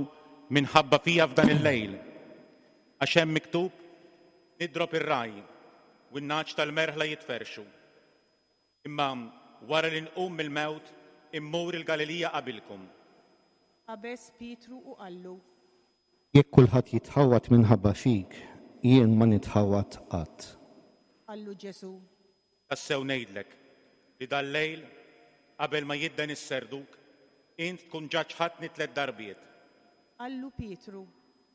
minħabba fija f'dan il-lejl. Għax hemm miktub nidrob ir-ragħaj u n-nagħaġ tal-merħla jitferrxu. Imma wara li nqum mill-mewt immur il-Galilija qabilkom. Qabeż Pietru u qallu. Jekk kulħadd jitħawwad minħabba fik, jien ma nitħawwad qatt. Qallu Ġesù. Tassew ngħidlek li dal-lejl qabel ma jidden is-serduk, int tkun ġa ċħadtni tliet darbiet. Qallu Pietru.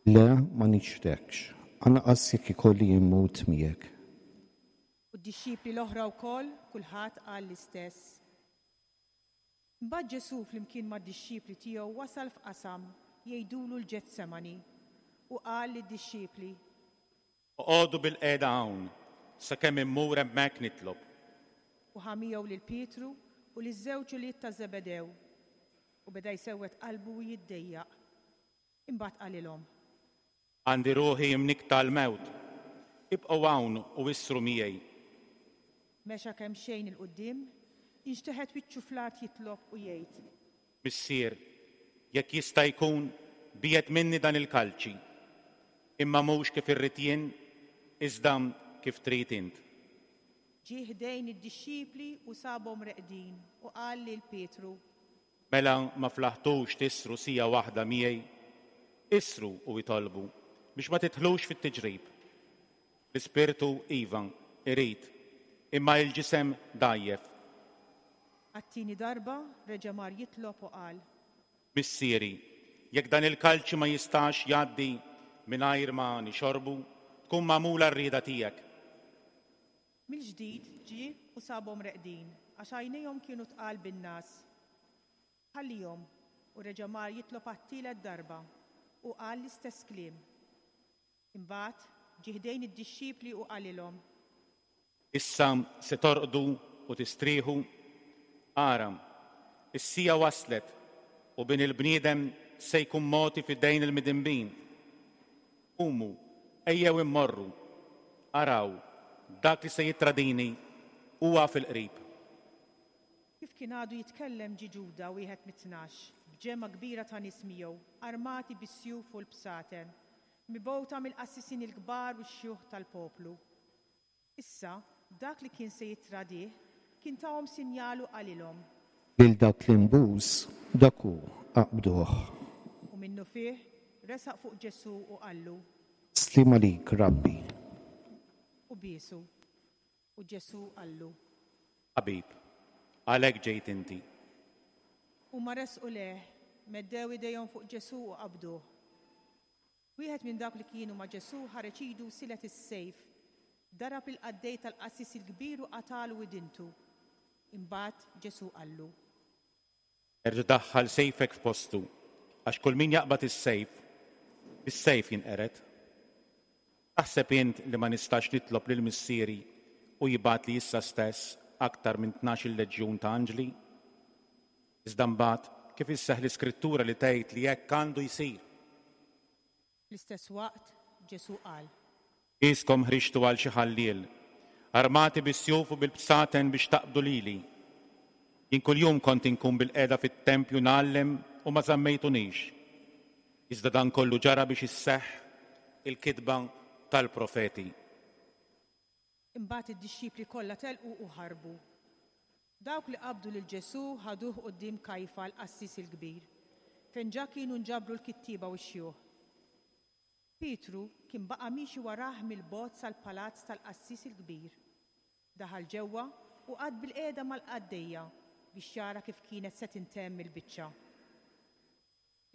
Le, ma niċħdekx, anqas jekk ikolli mmut miegħek. U d-dixxipli l-oħra wkoll kulħadd qal l-istess. Imbagħad Ġesù flimkien mad-dixxipli tiegħu wasal f'qasam jgħidulu l-Ġetsemani u qal lid-dixxipli. Oqogħdu bilqiegħda hawn sakemm immur hemmhekk nitlob. U ħa miegħu lil Pietru u liż-żewġ ulied ta' Żebedew u beda jsewwed qalbu u jiddejjaq. Imbagħad qalilhom. Għandi ruħi mnikkta għall-mewt. Ibqgħu hawn u isru miegħi. Mexa kemxejn 'il quddiem, inxteħet wiċċu fl-art jitlob u jgħid. Missier, jekk jista' jkun biegħed minni dan il-kalċi, imma mhux kif irrid jien, iżda kif trid int. Ġie ħdejn id-dixxipli u sabhom reqdin u qal lil Pietru. Mela ma flaħtux tisru siegħa waħda miegħi, isru u itolbu biex ma tidħlux fit-tiġrib. L-ispirtu iva irid, imma il-ġisem dgħajjef. Għat-tieni darba reġa' mar jitlob u qal. Missieri, jekk dan il-kalċi ma jistax jgħaddi mingħajr ma nixorbu, tkun magħmula r-rieda tiegħek. Mill-ġdid ġie u sabhom reqdin għax għajnejhom kienu tqal bin-ngħas. Ħallihom u reġa' mar jitlob għat-tielet darba u qal l-istess kliem. Imbagħad ġie ħdejn id-dixxipli u qalilhom. Issa se torqdu u tistrieħu. Ara, is-siegħa waslet u bin il-bniedem se jkun mogħti f'idejn il-midinbin. Qumu, ejjew immorru. Araw, dak li se jittradini huwa fil-qrib. Kif kien għadu jitkellem ġie Ġuda wieħed mit-tnax, b'ġemgħa kbira ta' nies miegħu, armati bis-sjuf u l-bsaten, mibgħuta mill-qassisin il-kbar u x-xjuħ tal-poplu. Issa, dak li kien se jittradih kien tahom sinjal u qalilhom. Lil dak li nbus, dak hu, aqbduh. U minnufih resaq fuq Ġesù u qallu. Sliem għalik, Rabbi. U biesu. U Ġesù qallu. Ħabib, għalhekk ġejt inti. Huma resqu lejh, meddew idejhom fuq Ġesù u qabduh. Wieħed minn dawk li kienu ma' Ġesù ħareġ idu u silet is-sejf. Darab il-qaddej tal-qassis il-kbir u qatalu widintu. Imbagħad Ġesù qallu. Erġa' daħħal sejfek f'postu, għax kull min jaqbad is-sejf, bis-sejf jinqered. Taħseb int li ma nistax nitlob lil Missieri u jibgħatli issa stess aktar minn tnax-il leġjun ta' anġli? Iżda mbagħad kif isseħħ l-iskrittura li tgħid li hekk għandu jsir? Fl-istess waqt Ġesù qal. Qiskom ħriġtu għal xi ħalliel, armati bis-sjuf u bil-bsaten biex taqbdu lili. Jien kuljum kont inkun bilqiegħda fit-tempju ngħallem u ma żammejtunix. Iżda dan kollu ġara biex isseħħ il-kitba tal-profeti. Imbagħad id-dixxipli kollha telqu u ħarbu. Dawk li qabdu lil Ġesù ħaduh quddiem Kajfa l-qassis il-kbir, fejn ġa kienu nġabru l-kittieba u x-xjuħ. Pietru kien baqa' miexi warah mill-bogħod sal-palazz tal-qassis il-kbir. Daħal ġewwa u qagħad bilqiegħda mal-qaddejja biex jara kif kienet se tintemm il-biċċa.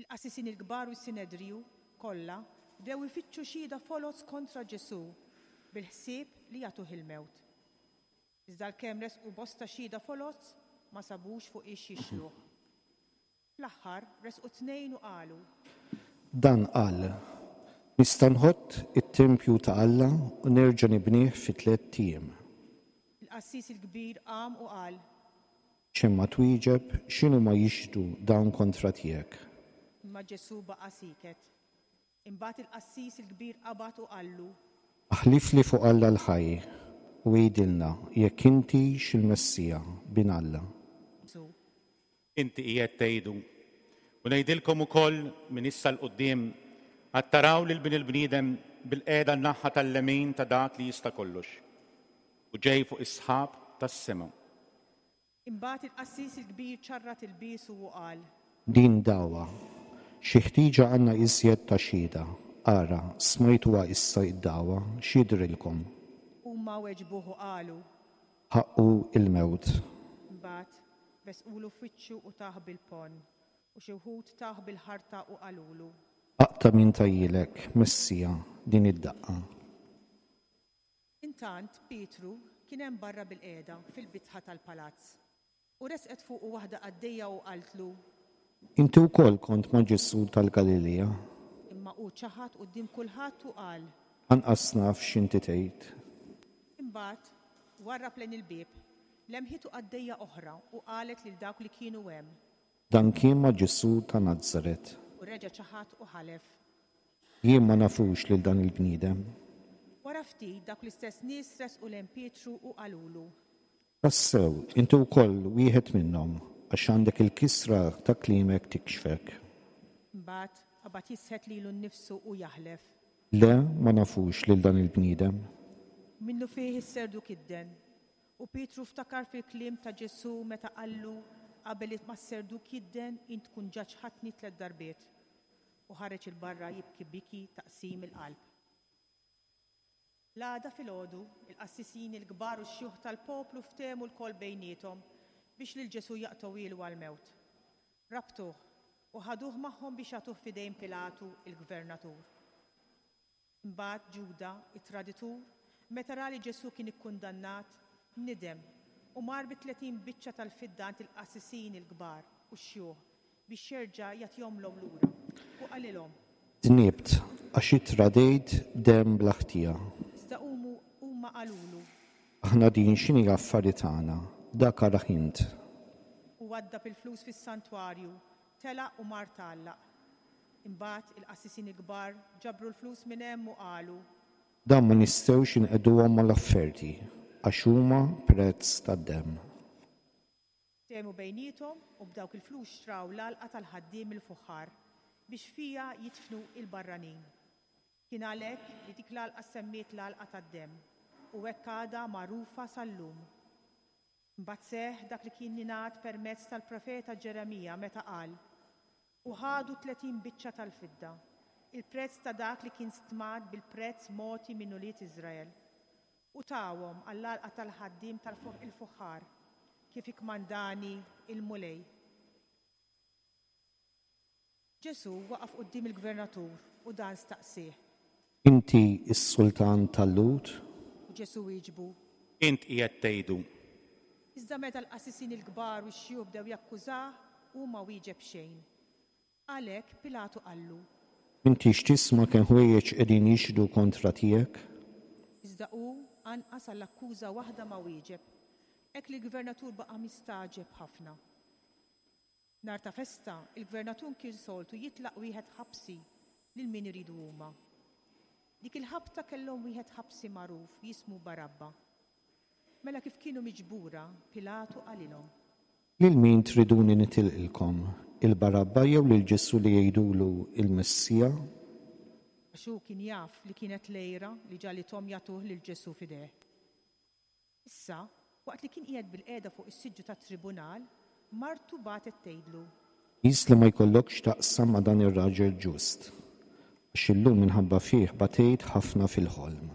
Il-qassisin il-kbar u s-Sinedriju kollha bdew ifittxu xhieda foloz kontra Ġesù bil-ħsieb li jagħtuh il-mewt. Iżda għalkemm resqu bosta xhieda foloz ma sabux fuq ix jixluh. Fl-aħħar resqu tnejn u qalu. Dan qal, Nista' nħott it-tempju ta' Alla u nerġa' nibnih fi tlett ijiem. Il-qassis il-kbir qam u qal, X'hemm ma twieġeb, x'inhuma jixhdu dawn kontra tiegħek? Imma Ġesù baqa' sieket. Imbagħad il-qassis il-kbir qabad u qallu, Aħlifli fuq Alla l-ħaj u għidilna jekk intix il-Messija, bin Alla. Ġesù. Inti qiegħed tgħidu. U ngħidilkom ukoll minn issa 'l quddiem għad taraw lil bin il-bniedem bilqiegħda n-naħa tal-lemin ta' dak li jista' kollox. U ġej fuq is-sħab tas-sema. Imbagħad il-qassis il-kbir ċarrat ilbiesu u qal, Din dagħwa. Xi ħtieġa għandna iżjed ta' xhieda. Ara, smajtuha issa id-dagħwa, x'jidhrilkom? Huma weġbuh u qalu. Ħaqqu il-mewt. Imbagħad besqulu f'wiċċu u tah bil-ponn, u xi wħud tawh bil-ħarta u qalulu. Aqta' min tahielek, Messija, din id-daqqa. Intant Pietru kien hemm barra bilqiegħda fil-bitħa tal-palazz. U resqet fuqu waħda qaddejja u qaltlu, Inti wkoll kont ma' Ġesù tal-Galilija. Imma hu ċaħad quddiem kulħadd u qal, Anqas naf x'inti tgħid. Imbagħad warrab lejn il-bieb, lemħitu qaddejja oħra u qalet lil dawk li kienu hemm. Dan kien ma' Ġesù ta' Nazaret. U reġa' ċaħad u ħalef. Jien ma nafux lil dan il-bniedem. Wara ftit dawk l-istess nies resqu lejn Pietru u qalulu. Tassew, inti wkoll wieħed minnhom, għax għandek il-kisra ta' kliemek tikxfek. Imbagħad qabad jisħet lilu nnifsu u jaħlef. Le, ma nafux lil dan il-bniedem. Minnufih is-serduk idden. U Pietru ftakar fil-kliem ta' Ġesù meta qallu qabel ma s-serduk jidden int tkun ġa ċħadtni tliet darbiet. U ħareġ 'il barra jibki biki ta' qsim il-qalb. L-għada filgħodu, il-qassisin il-kbar u x-xjuħ tal-poplu ftehmu lkoll bejniethom biex lil Ġesù jaqtgħuhielu għall-mewt. Rabtuh u ħaduh magħhom biex jagħtuh f'idejn Pilatu il-gvernatur. Imbagħad Ġuda, it-traditur, meta ra li Ġesù kien ikkundannat, nidem u mar bi tletin biċċa tal-fidda għand il-qassisin il-kbar u x-xjuħ biex jerġa' jagħtihomlhom lura. U qalilhom, Dnibt, għax ittradejt demm bla ħtija. Iżda humu huma qalulu, Aħna din x'inhi affari tagħna, dak arah int. U waddab il-flus fis-santwarju, telaq u mar tgħallaq. Imbagħad il-qassisin il-kbar ġabru l-flus minn hemm u qalu, Dan ma nistgħux inqegħduhom mal-offerti, għax huma prezz tad-demm. Ftehmu bejniethom u b'dawk il-flus xtraw l-għalqa tal-ħaddiem il-fuħħar biex fiha jidfnu il-barranin. Kien għalhekk li dik l-għalqa semmiet l-għalqa tad-demm u hekk għadha magħrufa sal-lum. Imbagħad seħħ dak li kien ingħad permezz tal-profeta Ġeremija meta qal, u ħadu tletin biċċa tal-fidda, il-prezz ta' dak li kien stmat bil-prezz mogħti minn ulied Iżrael, u tawhom għall-għalqa tal-ħaddiem tal-fuħħar, kif ikkmandani il-Mulej. Ġesù waqaf quddiem il-gvernatur u dan staqsieh. Inti s-sultan tal-Lhud? U Ġesù wieġbu, Int qiegħed tgħidu. Iżda meta l-qassisin il-kbar u x-xjuħ bdew jakkużah, hu ma wieġeb xejn. Għalhekk Pilatu qallu, Inti x'tisma' kemm ħwejjeġ qegħdin jixhdu kontra tiegħek? Iżda hu anqas għall-akkuża waħda ma wieġeb. Hekk li l-gvernatur baqa' mistagħġeb ħafna. Nhar ta' festa, il-gvernatur kien soltu jitlaq wieħed ħabsi lil min iridu huma. Dik il-ħabta kellhom wieħed ħabsi magħruf jismu Barabba. Mela kif kienu miġbura, Pilatu qalilhom, Lil min triduni nitilqilkom, il-Barabba jew lil Ġesù li jgħidulu il-Messija? Għax hu kien jaf li kienet l-għira li ġagħlithom jagħtuh lil Ġesù f'idejh. Issa, waqt li kien qiegħed bilqiegħda fuq is-siġġu tat-tribunal, martu bagħtet tgħidlu, Qis li ma jkollokx taqsam ma' dan ir-raġel ġust, għax illum minħabba fih batejt ħafna fil-ħolm.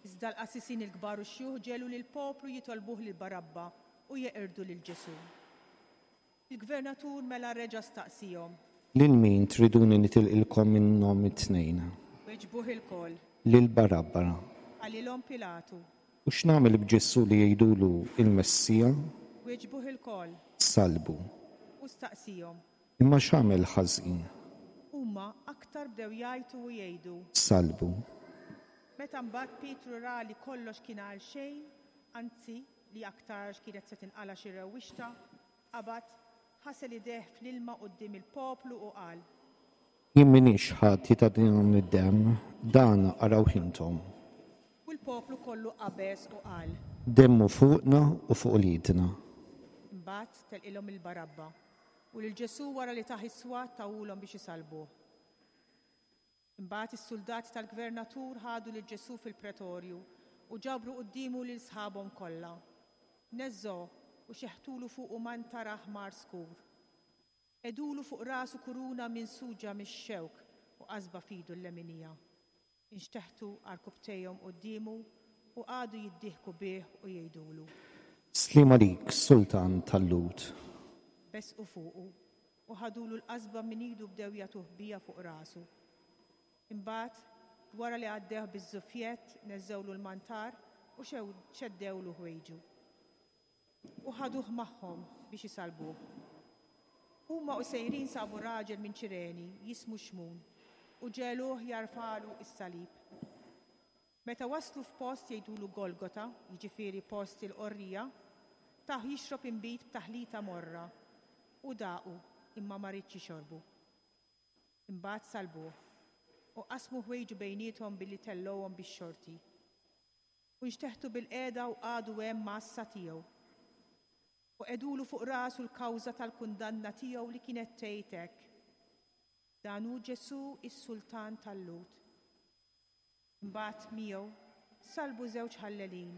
Iżda l-qassisin il-kbar u x-xjuħ ġegħlu lill-poplu jitolbuh lil Barabba u jeqirdu lil Ġesù. Il-gvernatur mela reġa' staqsihom. Lil min triduni nitilqilkom minnhom it-tnejn? Weġbuh ilkoll. Lil Barabba. Qalilhom Pilatu. U x'nagħmel b'Ġesù li jgħidulu il-Messija? Weġbuh ilkoll. Sallbu. U staqsihom. Imma x'għamel ħażin? Huma aktar bdew jgħajtu u jgħidu. Sallbu. Meta mbagħad Pietru ra li kollox kien għal xejn, anzi li aktarx kienet se tinqala xi rewwixta, qabad, ħasel idejh fl-ilma quddiem il-poplu u qal. Jien m'iniex ħati ta' dan id-demm, dan arawh intom. U l-poplu kollu qabeż u qal. Demmu fuqna u fuq uliedna. Imbagħad telqilhom il-Barabba u lil Ġesù wara li tah is-swat tahulhom biex isalbuh. Imbagħad is-suldati tal-gvernatur ħadu lil Ġesù fil-pretorju u ġabru quddiemu lil sħabhom kollha. Neżżgħuh u xeħtulu fuqu mantar aħmar skur. Qegħdulu fuq rasu kuruna minsuġa mix-xewk u qasba f'idu l-leminija. Inxteħtu għarkupptejhom quddiemu u qagħdu jiddieħku bih u jgħidulu. Sliem għalik, Sultan tal-Lhud. Besqu fuqu u ħadulu l-qasba minn idu bdew jagħtuh biha fuq rasu. Imbagħad, wara li għaddewh biż-żufjett, neżżgħulu l-mantar u xeddewlu ħwejġu. U ħaduh magħhom biex isalbuh. Huma u sejrin sabu raġel minn Ċireni jismu Xmun u ġegħluh jarfagħlu s-salib. Meta waslu f'post jgħidulu Golgota, jiġifieri post il-qorrija, tah jixrob inbid b'taħlita morra u daqu imma ma riedx jixorbu. Imbagħad salbuh u qasmu ħwejġu bejniethom billi tellgħuhom bix-xorti. U nxteħtu bilqiegħda u qagħdu hemm għassa tiegħu. U qegħdulu fuq rasu l-kawża tal-kundanna tiegħu li kienet tgħid hekk. Dan hu Ġesù is-Sultan tal-Lhud. Imbagħad miegħu salbu żewġ ħallelin,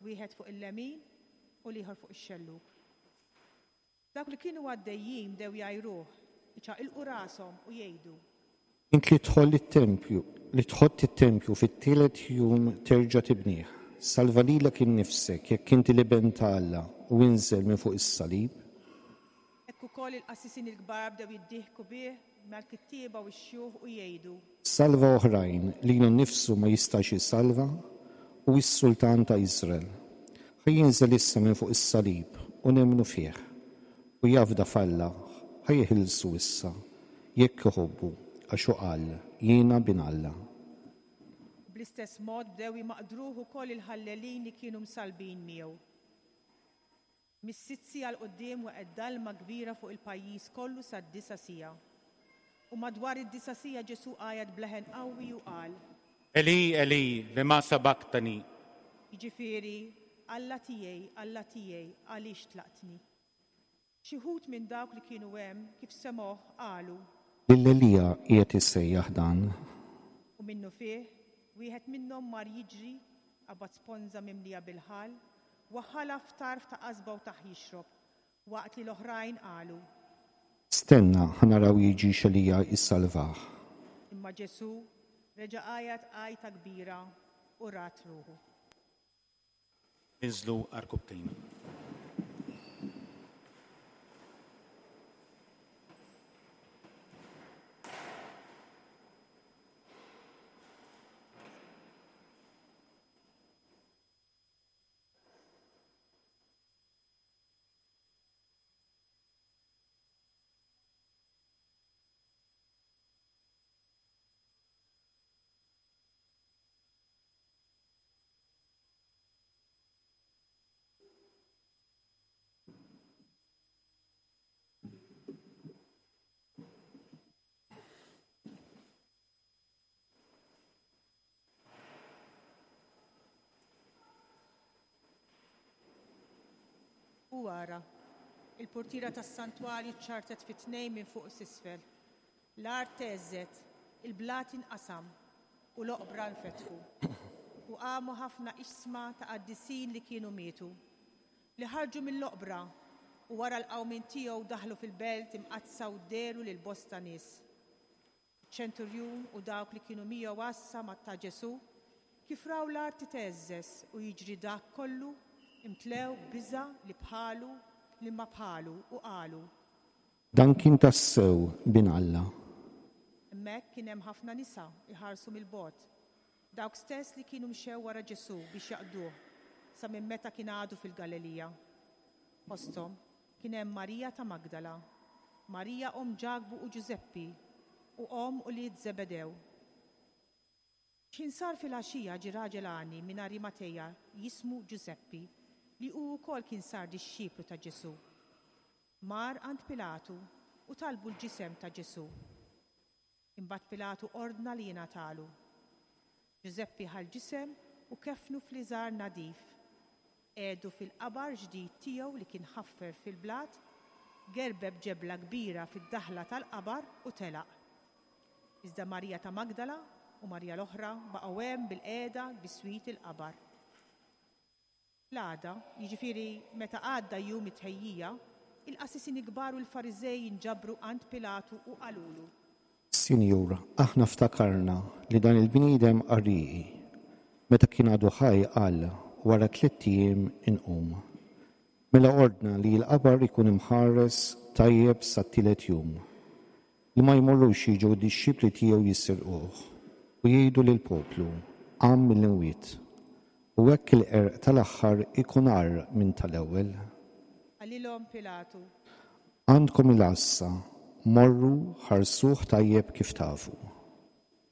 wieħed fuq il-lemin u l-ieħor fuq ix-xellug. Dawk li kienu għaddejjin bdew jgħajruh, iċaqilqu rashom u jgħidu. Int li tħoll it-tempju, li tħott it-tempju fit-tielet jum terġa' tibnih. Salva lilek innifsek jekk inti l-Iben ta' Alla u inżel minn fuq is-salib. Hekk ukoll il-qassisin il-kbar bdew jiddieħku bih mal-kittieba u x-xjuħ u jgħidu. Salva oħrajn, lilu nnifsu ma jistax jisalva, hu s-Sultan ta' Iżrael. Ħa jinżel issa minn fuq is-salib u nemmnu fih. U jafda f'Alla, ħa jeħilsu issa, jekk iħobbu, għax hu qal, jiena bin Alla. Bl-istess mod bdew jmaqdruh ukoll il-ħallelin li kienu msalbin miegħu. Mis-sitt siegħa 'l quddiem waqgħet dalma kbira fuq il-pajjiż kollu sad-disa' siegħa. U madwar id-disa' siegħa Ġesù għajat b'leħen qawwi u qal. Eli, Eli, lema sabaktani? Jiġifieri, Alla tiegħi, Alla tiegħi, għaliex tlaqtni? Xi wħud minn dawk li kienu hemm kif semgħuh qalu. Lil Elija qiegħed isejjaħ dan. U minnufih, wieħed minnhom mar jiġri, qabad sponża mimlija bil-ħall, waħħalha f'tarf ta' qasba u tah jixrob, waqt li l-oħrajn qalu. Stenna, ħa naraw jiġix Elija jissalvah. Imma Ġesù reġa' għajat għajta kbira u rat ruħu. Inżlu għarkupptejna. U ara, il-portiera tas-santwarju ċartet fi tnejn minn fuq s'isfel. L-art theżżet, il-blat inqasam u l-oqbra nfetħu. U qamu ħafna iġsma ta' qaddisin li kienu mietu, li ħarġu mill-oqbra u wara l-qawmien tiegħu daħlu fil-belt imqaddsa u dehru lil bosta nies. Ċenturjun u dawk li kienu miegħu għassa ma' ta' Ġesù, kif raw l-art titeżżeż u jiġri dak kollu, imtlew biża' li bħalu li ma bħalu u qalu. Dan kien tassew bin Alla. Hemmhekk kien hemm ħafna nisa iħarsu mill-bogħod, dawk stess li kienu mxew wara Ġesù biex jaqduh sa minn meta kien għadu fil-Galilija. Fosthom kien hemm Marija ta' Magdala, Marija omm Ġakbu u Ġużeppi u omm ulied Żebedew. X'ħin sar filgħaxija ġie raġel għani minn Arimateja jismu Ġużeppi, li hu wkoll kien sar dixxiplu ta' Ġesù. Mar għand Pilatu u talbu l-ġisem ta' Ġesù. Imbagħad Pilatu ordna li jingħatalu. Ġużeppi ħa l-ġisem u kefnu f'liżar nadif. Qiegħdu fil-qabar ġdid tiegħu li kien ħaffer fil-blat, gerbeb ġebla kbira fid-daħla tal-qabar u telaq. Iżda Marija ta' Magdala u Marija l-oħra baqgħu hemm bilqiegħda biswit il-qabar. L-għada, jiġifieri meta għadda jum it-tħejjija, il-qassisin kbar u l-Fariżej inġabru għand Pilatu u qalulu. Sinjur, aħna ftakarna li dan il-bniedem qarrieqi. Meta kien għadu ħaj qal wara tliet ijiem inqum. Mela ordna li l-qabar ikun imħares tajjeb sat-tielet jum. Li ma jmorrux jiġu d-dixxipli tiegħu jisirquh u jgħidu lill-poplu qam mill-imwiet. U hekk il-qerq tal-aħħar ikun agħar minn tal-ewwel. Qalilhom Pilatu. Għandkom il-għassa, morru ħarsuh tajjeb kif tafu.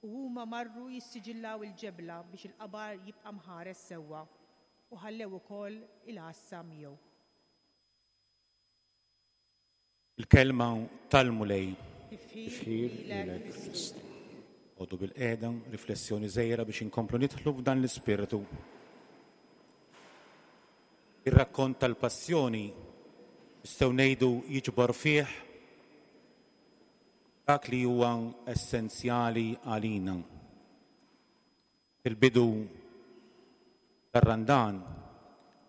U huma marru jissiġillaw il-ġebla biex il-qabar jibqa' mħares sewwa u ħallew ukoll il-għassa miegħu. Il-kelma tal-Mulej. Tifħir lilek, Kristu. Għodu bilqiegħda, riflessjoni żgħira biex inkomplu nidħlu f'dan l-ispirtu. Ir-rakkont tal-passjoni nistgħu ngħidu jiġbor fih dak li huwa essenzjali għalina. Fil-bidu tar-Randan,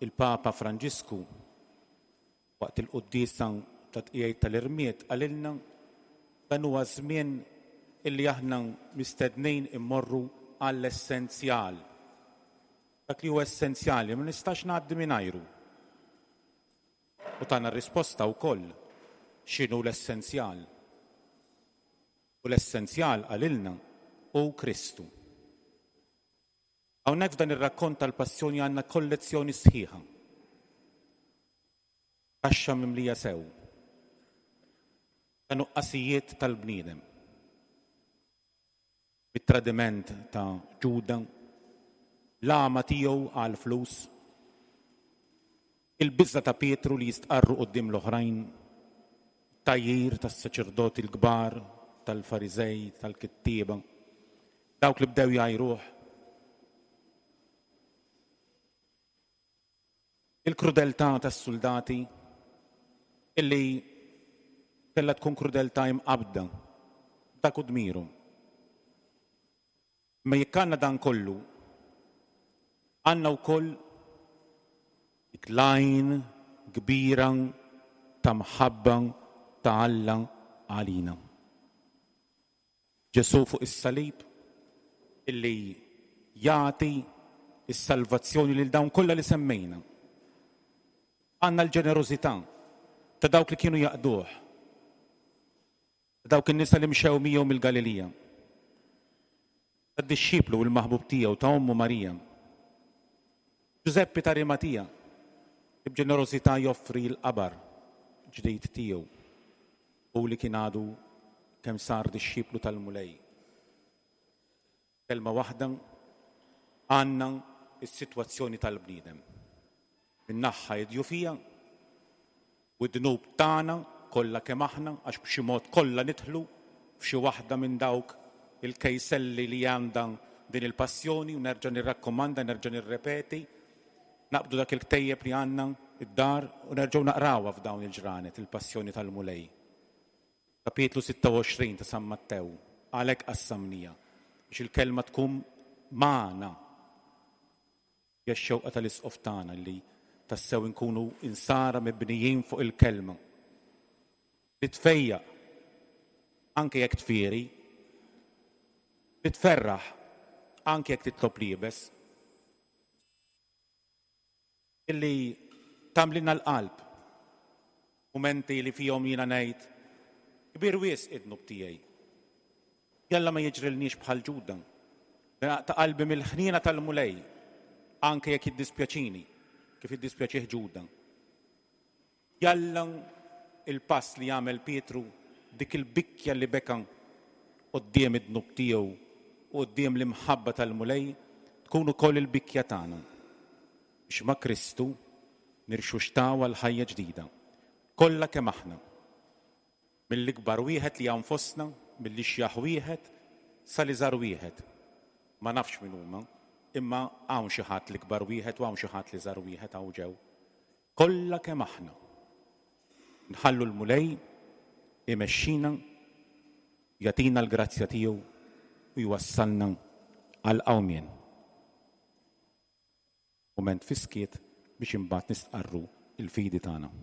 il-Papa Franġisku waqt il-quddiesa ta' tqiegħid tal-irmied qalilna dan huwa żmien illi aħna mistednin immorru għall-essenzjal. Dak li huwa essenzjali ma nistax ngħaddi mingħajru. U tana r-risposta wkoll x'inhu l-essenzjal. U l-essenzjal qalilna hu Kristu. Hawnhekk f'dan ir-rakkont tal-passjoni għandna kollezzjoni sħiħa. Kaxxa mimlija sew ta' nuqqasijiet tal-bniedem. Bit-tradiment ta' Ġuda, l-għama tiegħu għal flus, il-biża ta' Pietru li jistqarru quddiem l-oħrajn, tajjir tas-saċerdoti l-kbar, tal-Fariżej, tal-kittieba, dawk li bdew jgħajruh. Il-krudeltà tas-soldati illi kellha tkun krudeltà imqabda, dak u dmiru. Ma jekk għandna dan kollu, għandna wkoll dik l-għajn kbira ta' mħabba ta' Alla għalina. Ġesù fuq is-salib illi jagħti s-salvazzjoni lil dawn kollha li semmejna. Għandna l-ġenerożità ta' dawk li kienu jaqduh, ta' dawk in-nisa li mxew miegħu mill-Galilija, tad-dixxiplu u l-maħbub tiegħu ta' ommu Marija. Ġużeppi ta' Arimatija li b'ġenerożità joffri l-qabar ġdid tiegħu u li kien għadu kemm sar dixxiplu tal-Mulej. Kelma waħda, għandna s-sitwazzjoni tal-bniedem. Min-naħa id-djufija u d-dnub tagħna kollha kemm aħna, għax b'xi mod kollha nidħlu f'xi waħda minn dawk il-kejselli li għandha din il-passjoni, u nerġa' nirrakkomanda, nerġa' nirrepeti, naqbdu dak il-ktejjeb li għandna id-dar u nerġgħu naqrawha f'dawn il-ġranet, il-passjoni tal-Mulej. Kapitlu sitta u għoxrin ta' San Mattew, għalhekk qassamnija biex il-kelma tkun magħna. Hija x-xewqa tal-isqof tagħna li tassew inkunu insara mibnijin fuq il-kelma. Li tfejjaq, anke jekk tfieri, li tferraħ, anke jekk titlob liebes, illi tagħmlilna l-qalb, mumenti li fihom jiena ngħid, kbir wisq id-dnub tiegħi. Jalla ma jiġrilniex bħal Ġuda, ta' qalbi mill-ħniena tal-Mulej, anke jekk jiddispjaċini, kif iddispjaċih Ġuda. Jalla il-pass li jagħmel Pietru, dik il-bikkja li beka quddiem id-dnub tiegħu u quddiem l-imħabba tal-Mulej tkun ukoll il-bikja tagħna biex ma' Kristu nirxuxtaw għal ħajja ġdida. Kollha kemm aħna. Mill-ikbar wieħed li hawn fostna, mill-ixjaħ wieħed sal-iżgħar wieħed. Ma nafx min huma, imma hawn xi ħadd l-ikbar wieħed u hawn xi ħadd l-iżgħar wieħed hawn ġew. Kollha kemm aħna. Nħallu l-Mulej imexxina, jagħtina l-grazzja tiegħu u jwassalna għal qawmien. Mument fis-skiet biex imbagħad nistqarru il-fidi tagħna.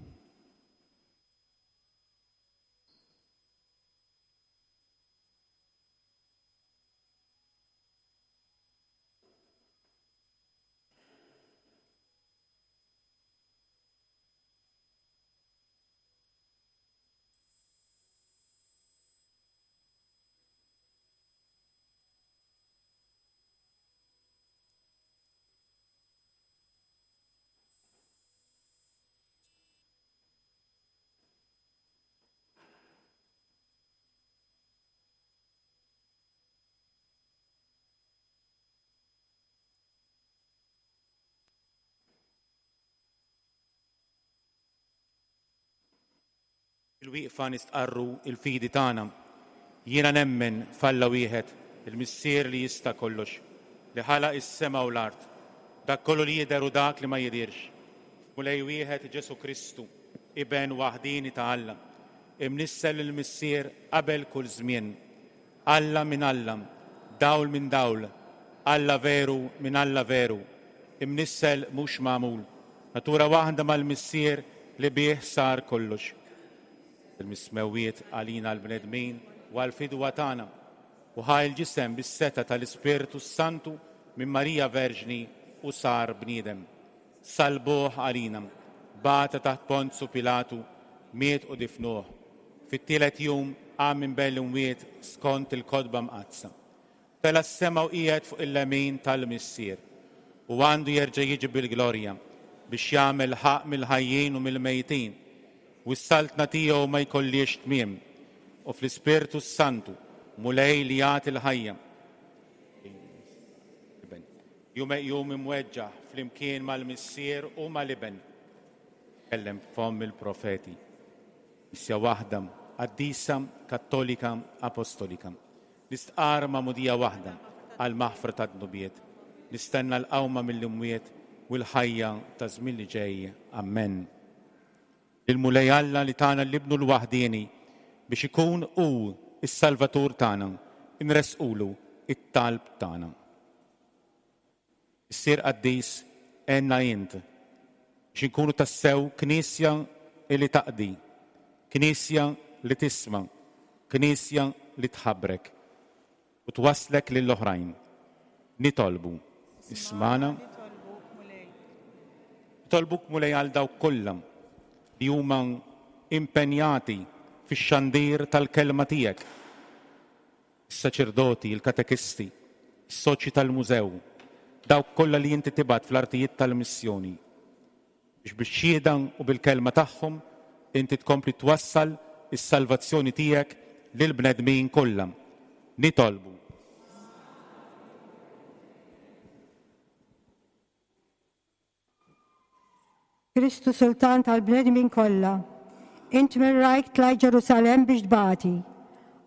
Il-wieqfa nistqarru il-fidi tagħna. Jiena nemmen f'Alla wieħed, il-Missier li jista' kollox, li ħalaq is-sema u l-art, dak kollu li jidher u dak li ma jidhirx. Mulej wieħed Ġesu Kristu, iben waħdini ta' Alla, imnissel il-Missier qabel kull żmien. Alla minn Alla, dawl minn dawl, Alla veru minn Alla veru, imnissel mhux magħmul, natura waħda mal-Missier li bih sar kollox. Il-mismewiet għalina l-bnedmin u għal-fidwa tagħna u ħa l-ġisem bis-seta tal-Ispirtu Santu minn Marija Verġni u sar bniedem. Salbuh għalina, bata taħt Ponzu Pilatu, miet u difnuh. Fit-tielet jum qam minn bejn l-imwiet skont il-kotba mqaddsa. Tela' s-sema u qiegħed fuq il-lemin tal-Missier u għandu jerġa' jiġi bil-glorja biex jagħmel ħaqq mill-ħajjin u mill-mejtin u s-saltna tiegħu ma jkollix tmiem u fl-Ispirtu Santu Mulej li jagħti l-ħajja. Jum jum imweġġaħ flimkien mal-Missier u mal-Iben. Kellem fomm il-profeti. Missja waħda, qaddisa, kattolika, apostolika. Nistqar magħmudija waħda għal maħfra ta' dnubiet. Nistenna l-qawma mill-imwiet u l-ħajja ta' żmien li ġej. Amen. Il-Mulej Alla li tagħna l-ibnu l-waħdieni biex ikun hu is-Salvatur tagħna, inresqulu it-talb tagħna. Missier qaddis, għenna int biex inkunu tassew knisja li taqdi, knisja li tisma', knisja li tħabrek u twasslek lill-oħrajn. Nitolbu, ismana. Nitolbuk Mulej għal dawk kollha li huma impenjati fix-xandir tal-kelma tiegħek. Is-saċerdoti, il-katekisti, is-soċji tal-mużew, dawk kollha li inti tibgħat fl-artijiet tal-missjoni. Biex bix-xhieda u bil-kelma tagħhom inti tkompli twassal is-salvazzjoni tiegħek lill-bnedmin kollha. Nitolbu. Kristu Sultan tal-bnedmin kollha, int minn rajk tlajt Ġerusalemm biex tbati.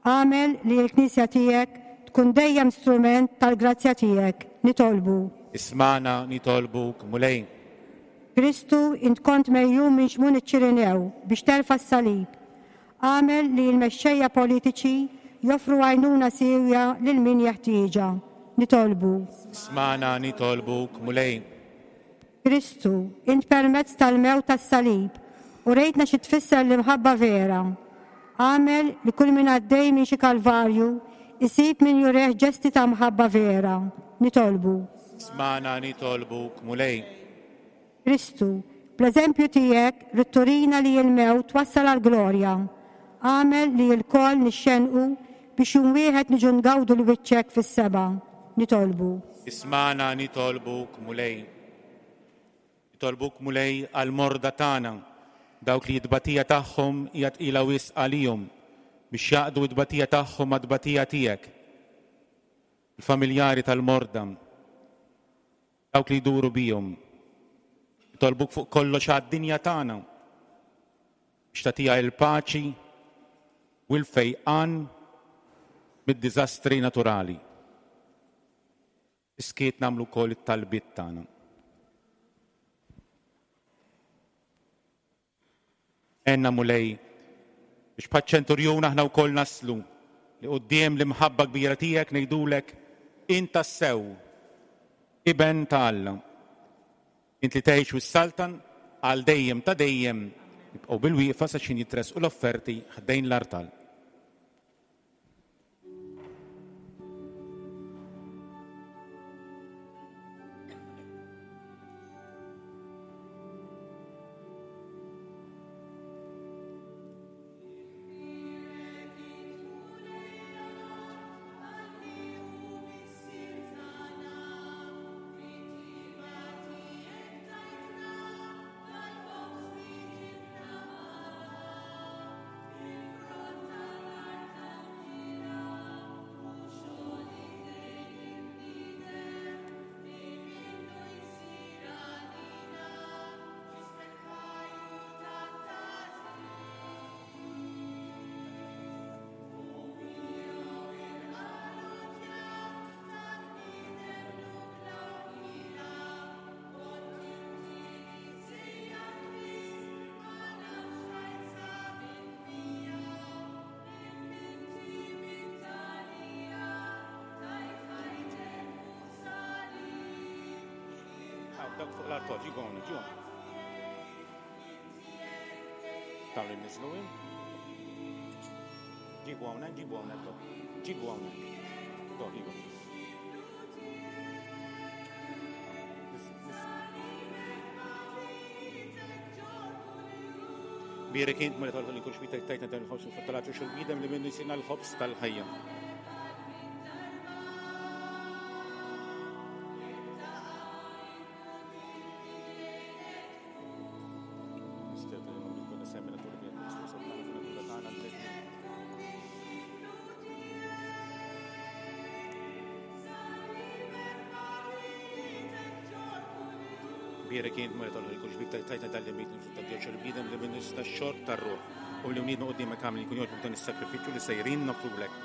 Agħmel li l-Knisja tiegħek tkun dejjem strument tal-grazzja tiegħek. Nitolbu. Ismana nitolbuk, Mulej. Kristu, int kont mejjum minn Xmun iċ-Ċirinew biex terfa' s-salib. Agħmel li l-mexxejja politiċi joffru għajnuna siewja lil min jeħtieġha. Nitolbu. Ismana nitolbuk, Mulej. Kristu, int permezz tal-mewt tas-salib u rejtna xi tfisser l-imħabba vera. Agħmel li kull min għaddej minn xi kalvarju isib min jureħ ġesti ta' mħabba vera. Nitolbu. Ismana nitolbuk, Mulej. Kristu, bl-eżempju tiegħek ridt turina li l-mewt twassal għall-glorja. Agħmel li lkoll nixxenqu biex jum wieħed niġu ngawdu l-wiċċek fis-seba'. Nitolbu. Ismana nitolbuk, Mulej. Nitolbuk, Mulej, għall-morda tagħna, dawk li t-tbatija tagħhom hija tqila wisq għalihom, biex jaqdu t-tbatija tagħhom mat-tbatija tiegħek. Il-familjari tal-morda, dawk li jduru bihom. Nitolbuk fuq kollox għad-dinja tagħna biex tagħtiha l-paċi u l-fejqan mid-diżastri naturali. Iskiet nagħmlu wkoll it-talbiet tagħna. Għenna Mulej biex bħaċ-ċenturjun aħna wkoll naslu li quddiem l-imħabba kbira tiegħek ngħidulek int tassew Iben ta' Alla. Int li tgħix u s-saltan għal dejjem ta' dejjem. Nibqgħu bil-wieqfa sa xejn jitressqu l-offerti ħdejn l-artal. Dak fuq l-artal, ġibu hawnhekk, ġibu hawnhekk. Dawn li nniżlu hemm. Ġibu hawnhekk, ġibu hawnhekk, dok. Ġibu hawnhekk. Dok, ġibu. Bierek int Mulej tal-ħolqien kull xbita tajtna dan il-ħobż u fattalatu xil-bniedem li minnu jsirna l-ħobż tal-ħajja. Bierek int Mulej tal-ħolqien kull xbita tajtna dan l-inbid xil-bniedem li minnu jsirna x-xorb tar-ruħ u li wniedna quddiemek għamel jkun jogħġbok dan is-sakrifiċċju li sejrin noffrulek.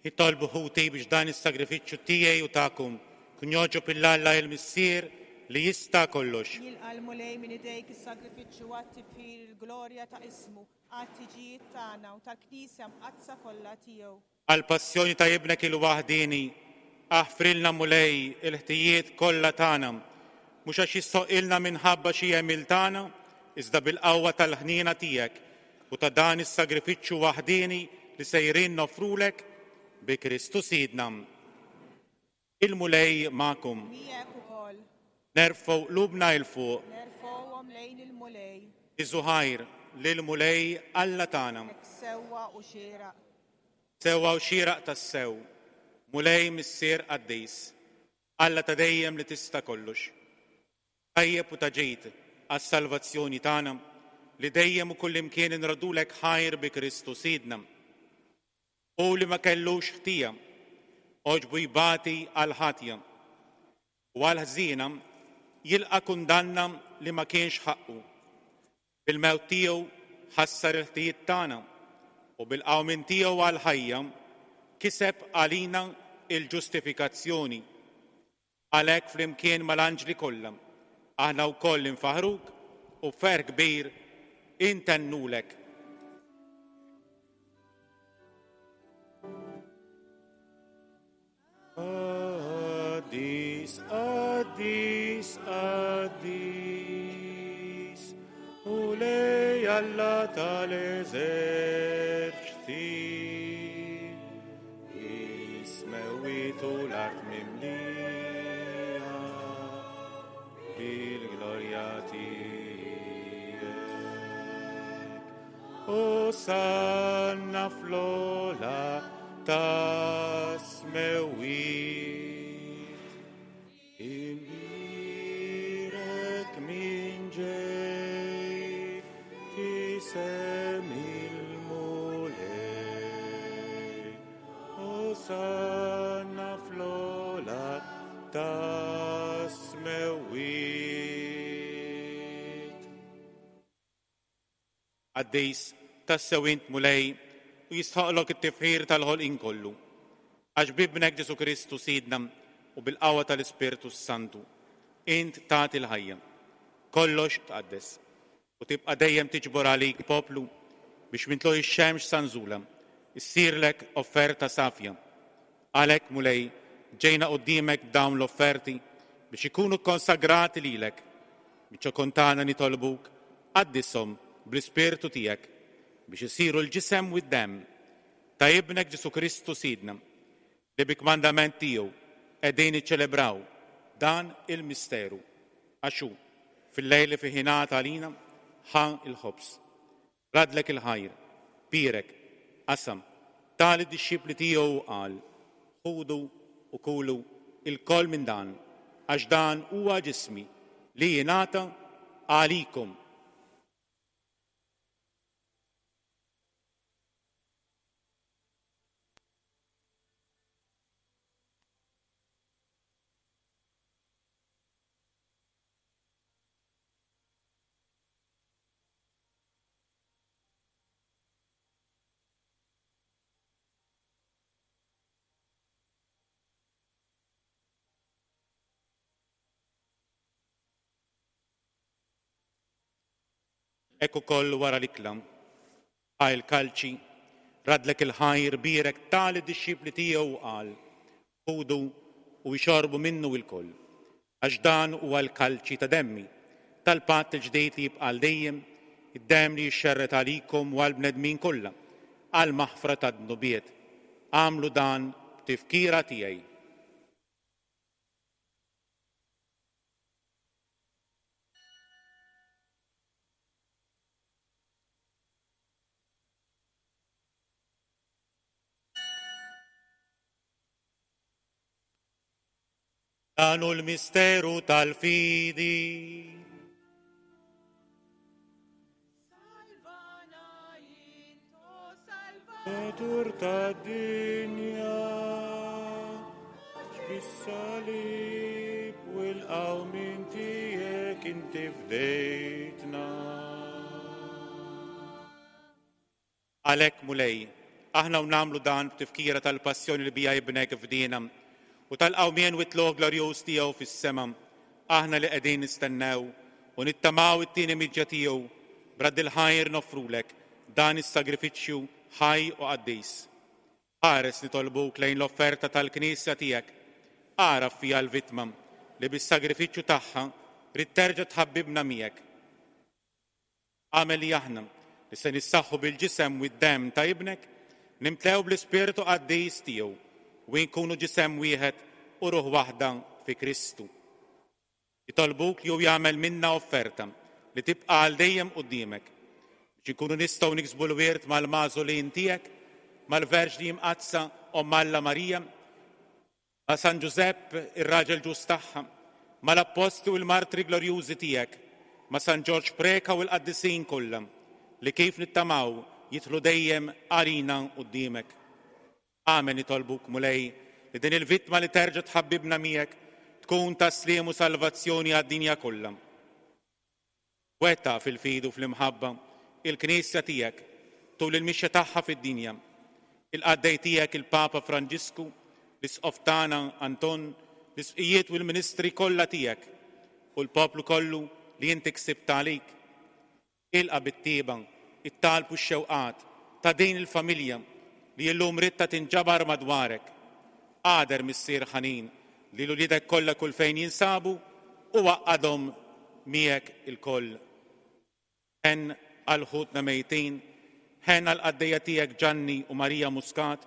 Itolbu ħuti biex dan is-sagrifiċċju tiegħi u tagħkom kun jogħġob lil Alla il-Missier li jista' kollox. Jilqa' l-Mulej minn idejk is-sagrifiċċju għat-tifħir il-glorja ta' ismu, għat-tiġijiet tagħna u tal-Knisja mqaddsa kollha tiegħu. Għall-passjoni ta' ibnek il-waħdieni, aħfrilna Mulej il-ħtijiet kollha tagħna, mhux għax jistħoqqilna minħabba xi għemil tagħna, iżda bil-qawwa tal-ħniena tiegħek u ta' dan is-sagrifiċċju waħdieni li sejrin nofrulek bi Kristu Sidna. Il-Mulej magħkom. Miegħek ukoll. Nerfgħu qlubna 'l fuq. Nerfgħuhom lejn il-Mulej. Niżżu ħajr lill-Mulej Alla tagħna. Hekk sewwa u xieraq. Sewwa u xieraq tassew, Mulej Missier qaddis, Alla ta' dejjem li tista' kollox. Tajjeb u ta' ġid għas-salvazzjoni tagħna li dejjem u kullimkien inradulek ħajr bi Kristu Sidna. U li ma kellux ħtija, għoġbu jbati għal ħatja u għal ħżiena jilqa' kundanna li ma kienx ħaqqu. Bil-mewt tiegħu ħassar il-ħtijiet tagħna u bil-qawmien tiegħu għal ħajja kiseb għalina il-ġustifikazzjoni. Għalhekk flimkien mal-anġli kollha aħna wkoll infaħruk u b'ferħ kbir intennulek. Qaddis, qaddis, qaddis, Mulej Alla tal-eżerċti, is-smewwiet u l-art mimlija bil-glorja tiegħek. Osanna fl-ogħla tas-smewwiet. Imbierek min ġej f'isem il-Mulej. Osanna fl-ogħla tas-smewwiet. Qaddis, tassew int Mulej u jistħoqqlok it-tifħir tal-ħolqien kollu. Għax b'ibnek Ġesù Kristu Sidna u bil-qawwa tal-Ispirtu Santu, int tagħti l-ħajja. Kollox tqaddes u tibqa' dejjem tiġbor għalik poplu biex minn tlugħ ix-xemx sa nżulha issirlek offerta safja. Għalhekk Mulej, ġejna quddiemek b'dawn l-offerti biex ikunu konsagrati lilek. Biċ-ċokon tagħna nitolbuk qaddishom bl-Ispirtu tiegħek biex isiru l-ġisem u d-demm ta' ibnek Ġesù Kristu Sidna, li bi kmandament tiegħu qegħdin niċċelebraw dan il-misteru. Għax hu fil-lejl li fih ingħata għalina ħa il-ħobż, radlek il-ħajr, bierek, qasam, ta lid-dixxipli tiegħu u qal: Ħudu u kulu ilkoll minn dan, għax dan huwa ġismi li jingħata għalikom. Hekk ukoll wara l-ikla, ħa l-kalċi, radlek il-ħajr, bierek, ta lid-dixxipli tiegħu u qal: Ħudu u jxorbu minnu ilkoll, għax dan huwa l-kalċi ta' demmi, tal-patt il-ġdid li jibqa' għal dejjem, id-demm li jixxerred għalikom u għall-bnedmin kollha, għall-maħfra tad-dnubiet. Agħmlu dan b'tifkira tiegħi. Dan hu l-misteru tal-fidi. Salvatur tad-dinja, bis-salib u l-qawmien tiegħek inti fdejtna. Għalhekk Mulej, aħna u nagħmlu dan b'tifkira tal-passjoni li bija ibnek fdina u tal-qawmien u t-tlugħ glorjuż tiegħu fis-sema, Aħna li qegħdin nistennew u nittamaw it-tieni miġja tiegħu b'radd il-ħajr noffrulek dan is-sagrifiċċju ħaj u qaddis. Ħares nitolbuk lejn l-offerta tal-Knisja tiegħek. Agħraf fiha l-vittma li bis-sagrifiċċju tagħha trid terġa' tħabbibna miegħek. Agħmel li aħna li se nissaħħu bil-ġisem u d-demm ta' ibnek, nimtlew bl-Ispirtu qaddis tiegħu u nkunu ġisem wieħed u ruħ waħda fi Kristu. Nitolbuk li hu jagħmel minna offerta li tibqa' għal dejjem quddiemek biex inkunu nistgħu niksbu l-wirt mal-magħżulin tiegħek, mal-Verġni Mqaddsa Omm Alla Marija, ma' San Ġużepp ir-raġel ġust tagħha, mal-appostli u l-martri glorjużi tiegħek, ma' San Ġorġ Preca u l-qaddisin kollha li kif nittamaw jidħlu dejjem għalina quddiemek. Agħmel nitolbuk Mulej li din il-vittma li terġa' tħabbibna miegħek tkun ta' sliem u salvazzjoni għad-dinja kollha. Wettaq fil-fidi u fl-imħabba il-Knisja tiegħek tul il-mixja tagħha fid-dinja. Il-qaddej tiegħek il-Papa Franġisku, l-Isqof tagħna Anton, l-isqfijiet u l-ministri kollha tiegħek u l-poplu kollu li inti ksibt għalik. Ilqa' bit-tieba, it-talb u x-xewqat ta' din il-familja li llum ridtha tinġabar madwarek. Agħder Missier ħanin li l-uliedek kollha kull fejn jinsabu u għaqqadhom miegħek ilkoll. Ħenn għal ħutna mejtin, ħenn għal qaddejja tiegħek Ġanni u Marija Muscat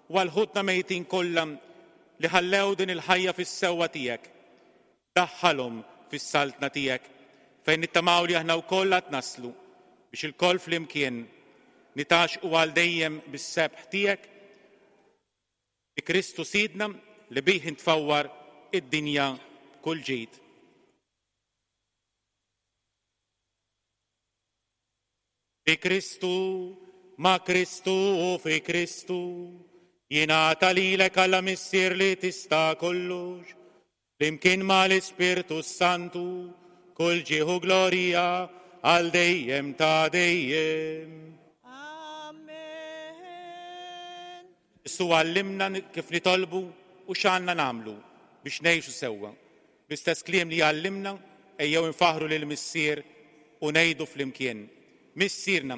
u għal ħutna mejtin kollha li ħallew din il-ħajja fis-sewwa tiegħek. Daħħalhom fis-saltna tiegħek fejn nittamaw li aħna wkoll għad naslu biex ilkoll flimkien nitgħaxxqu għal dejjem bis-sebħ tiegħek bi Kristu Sidna li bih intfawwar id-dinja kull ġid. Bi Kristu, ma' Kristu u fi Kristu, jingħata lilek Alla Missier li tista' kollox, flimkien mal-Ispirtu Santu, kull ġieħ u glorja għal dejjem ta' dejjem. Amen. Ġesù għallimna kif nitolbu u x'għandna nagħmlu biex ngħixu sewwa. Bl-istess kliem li għallimna ejjew infaħru lil Missier u ngħidu flimkien. Missierna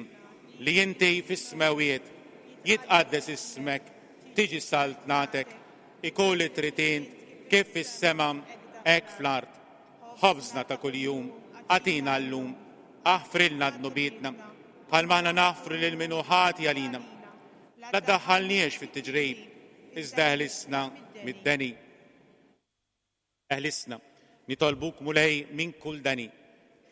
li inti fis-smewwiet, jitqaddes ismek, tiġi saltnatek, ikun li trid int kif fis-sema hekk fl-art. Ħobżna ta' kuljum agħtina llum, aħfrilna dnubietna bħalma aħna naħfru lil min hu ħati għalina. La ddaħħalniex fit-tiġrib, iżda eħlisna mid-deni. Eħlisna, nitolbuk Mulej minn kull deni.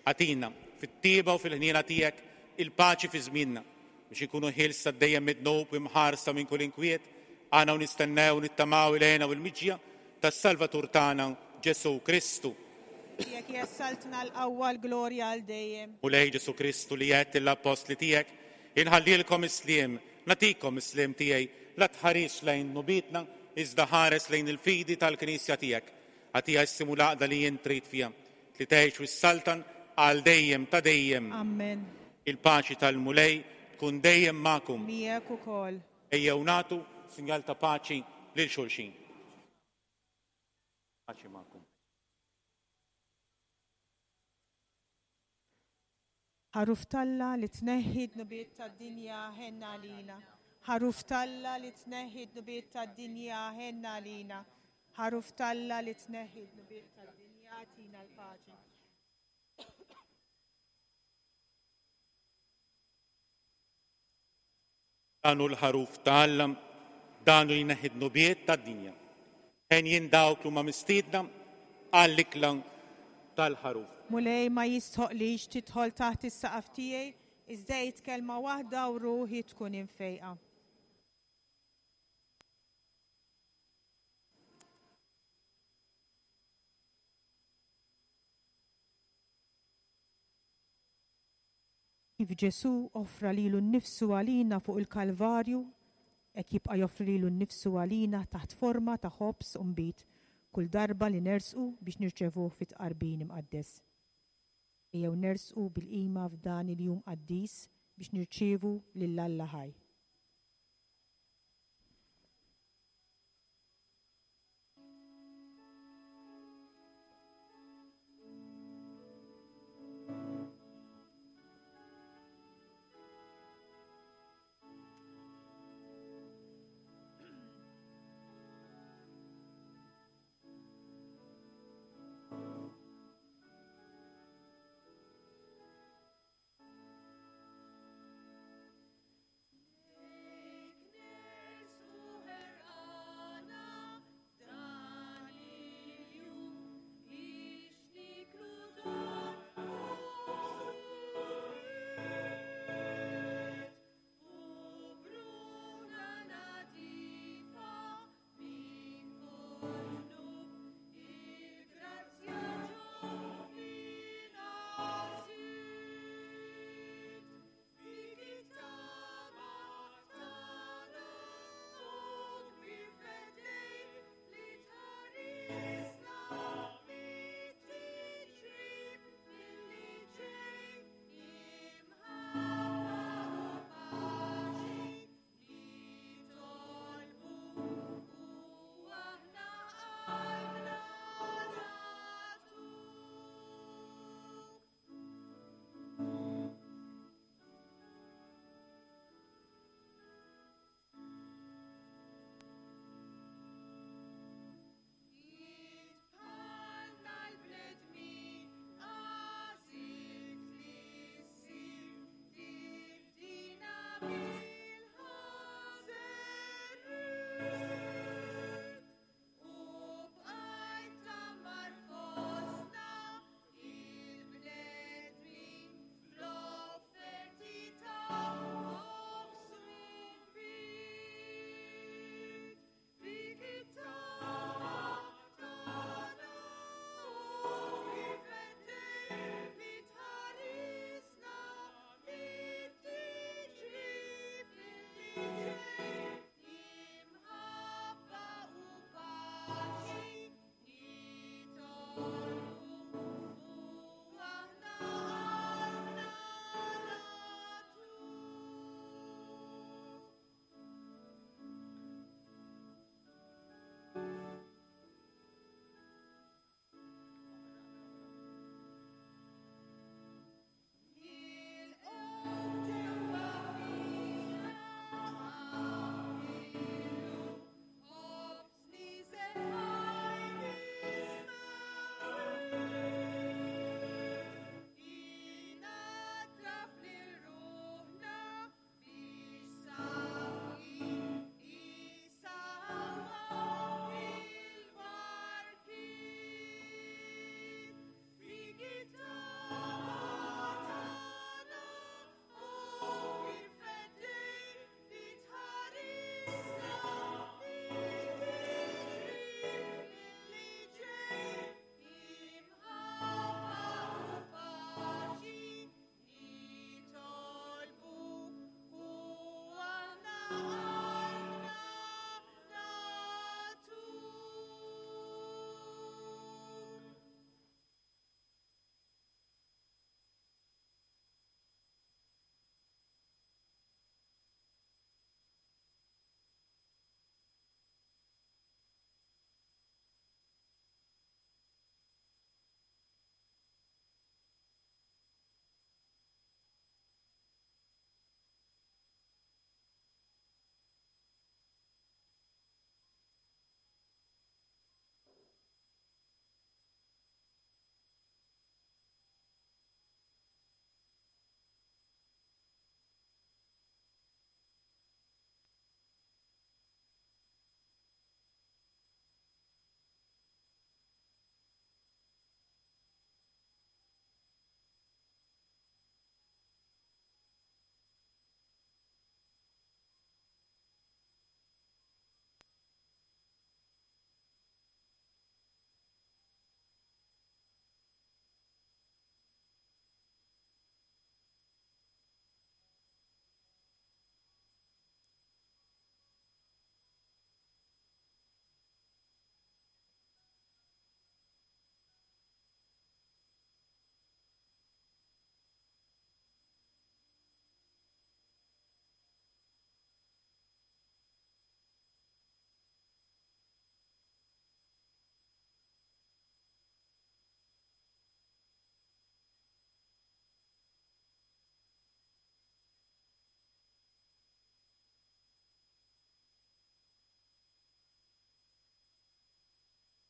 Agħtina fit-tieba u fil-ħniena tiegħek il-paċi fi żmienna biex ikunu ħielsa dejjem mid-dnub u imħarsa minn kull inkwiet, għana u nistennew nittamaw il-hena u l-miġja tas-Salvatur tagħna Ġesù Kristu. Tiegħek hija s-saltna l-qawwa l-glorja għal dejjem. Mulej Ġesù Kristu li għedt lill-appostli tiegħek, inħallilkom is-sliem, nagħtikom is-sliem tiegħi, la tħares lejn dnubietna, iżda ħares lejn il-fidi tal-Knisja tiegħek. Agħtiha s-sliem u l-għaqda li int trid fiha, li tgħix u s-saltan għal dejjem ta' dejjem. Amen. Il-paċi tal-Mulej tkun dejjem magħkom. Miegħek ukoll. Ejjew nagħtu sinjal ta' paċi lil xulxin. Paċi magħkom. Ħaruf t'Alla li tneħħi dnubiet tad-dinja ħenna għalina. Ħaruf t'Alla li tneħħi dnubiet tad-dinja ħenna għalina. Ħaruf t'Alla li tneħħi dnubiet tad-dinja agħtina l-paċi. Dan hu l-ħaruf ta' Alla, dan hu li jneħħi dnubiet tad-dinja. Henjin dawk li huma mistiedna għall-ikla tal-ħaruf. Mulej ma jistħoqlix tidħol taħt is-saqaf tiegħi, iżda għid kelma waħda u ruħi tkun imfejqa. Kif Ġesù offra lilu nnifsu għalina fuq il-Kalvarju, hekk jibqa' joffri lilu nnifsu għalina taħt forma ta' ħobż u nbid kull darba li nersqu biex nirċevuh fit-tqarbin imqaddes. Ejjew nersqu bil-qima f'dan il-jum qaddis biex nirċievu lil Alla ħaj.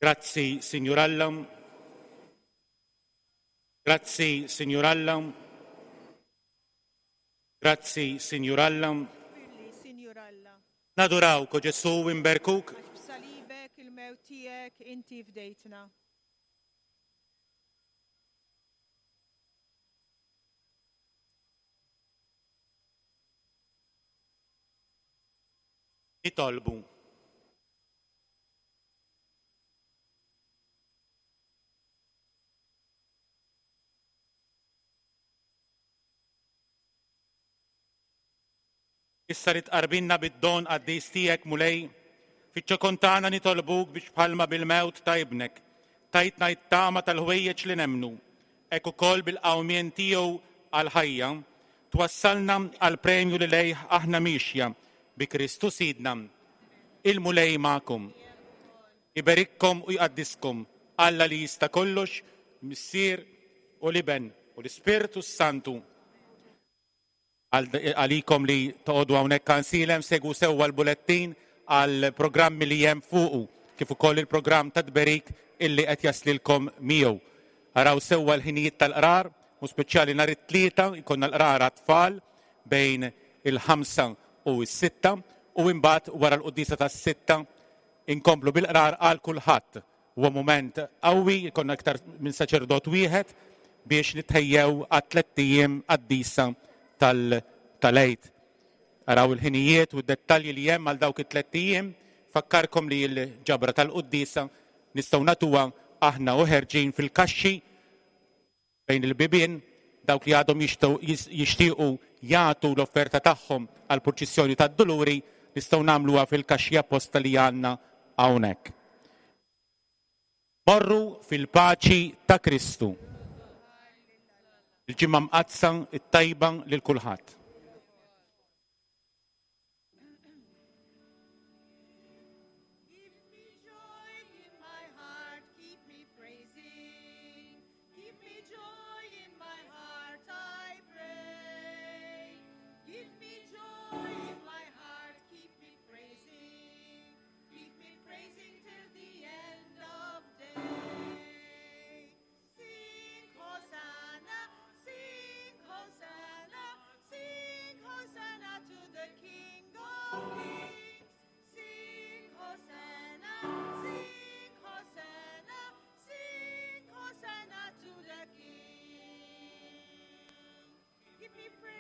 Grazzi, Sinjur Alla. Grazzi, Sinjur Alla. Grazzi, Sinjur Alla. Sinjur Alla. Nadurawk, o Ġesù, u nberkuk. Għax b'salibek il-mewt tiegħek inti fdejtna. Nitolbu. Issa li tqarbinna bid-don qaddis tiegħek, Mulej, fiċ-ċokon tagħna nitolbuk biex bħalma bil-mewt ta' ibnek tajtna t-tama tal-ħwejjeġ li nemmnu, hekk ukoll bil-qawmien tiegħu għall-ħajja twassalna għall-premju li lejh aħna mixja bi Kristu Sidna. Il-Mulej magħkom. Iberikkom u jqaddiskom Alla li jista' kollox, Missier u l-Iben u l-Ispirtu s-Santu. Għalikom li toqgħodu hawnhekk Għajnsielem, segwu sewwa l-bulettin għal programmi li hemm fuqu, kif ukoll il-programm ta' tberik illi qed jaslilkom miegħu. Araw sewwa l-ħinijiet tal-qrar, u speċjali nhar it-Tlieta jkollna l-qrar għat-tfal bejn il-ħamsa u s-sitta, u imbagħad wara l-quddiesa tas-sitta inkomplu bil-qrar għal kulħadd. Huwa mument qawwi, jkollna iktar minn saċerdot wieħed biex nitħejjew għat-tlett ijiem qaddisa tal-Għid. Araw il-ħinijiet u d-dettalji li hemm għal dawk it-tlett ijiem. Fakkarkom li l-ġabra tal-quddiesa nistgħu nagħtuha aħna u ħerġin fil-kaxxi bejn il-bibien, dawk li għadhom jixtiequ jagħtu l-offerta tagħhom għall-purċissjoni tad-Duluri nistgħu nagħmluha fil-kaxxi apposta li għandna hawnhekk. Morru fil-paċi ta' Kristu. Il-ġimgħa mqaddsa it-tajba lil kulħadd. Give me joy in my heart, keep me praising. Give me joy in my heart, I pray. Give me joy in my heart, keep me praising. Keep me praising till the end of day. Sing Hosanna, sing Hosanna, sing Hosanna to the King of Kings. Sing Hosanna, sing Hosanna, sing Hosanna to the King. Keep me praising.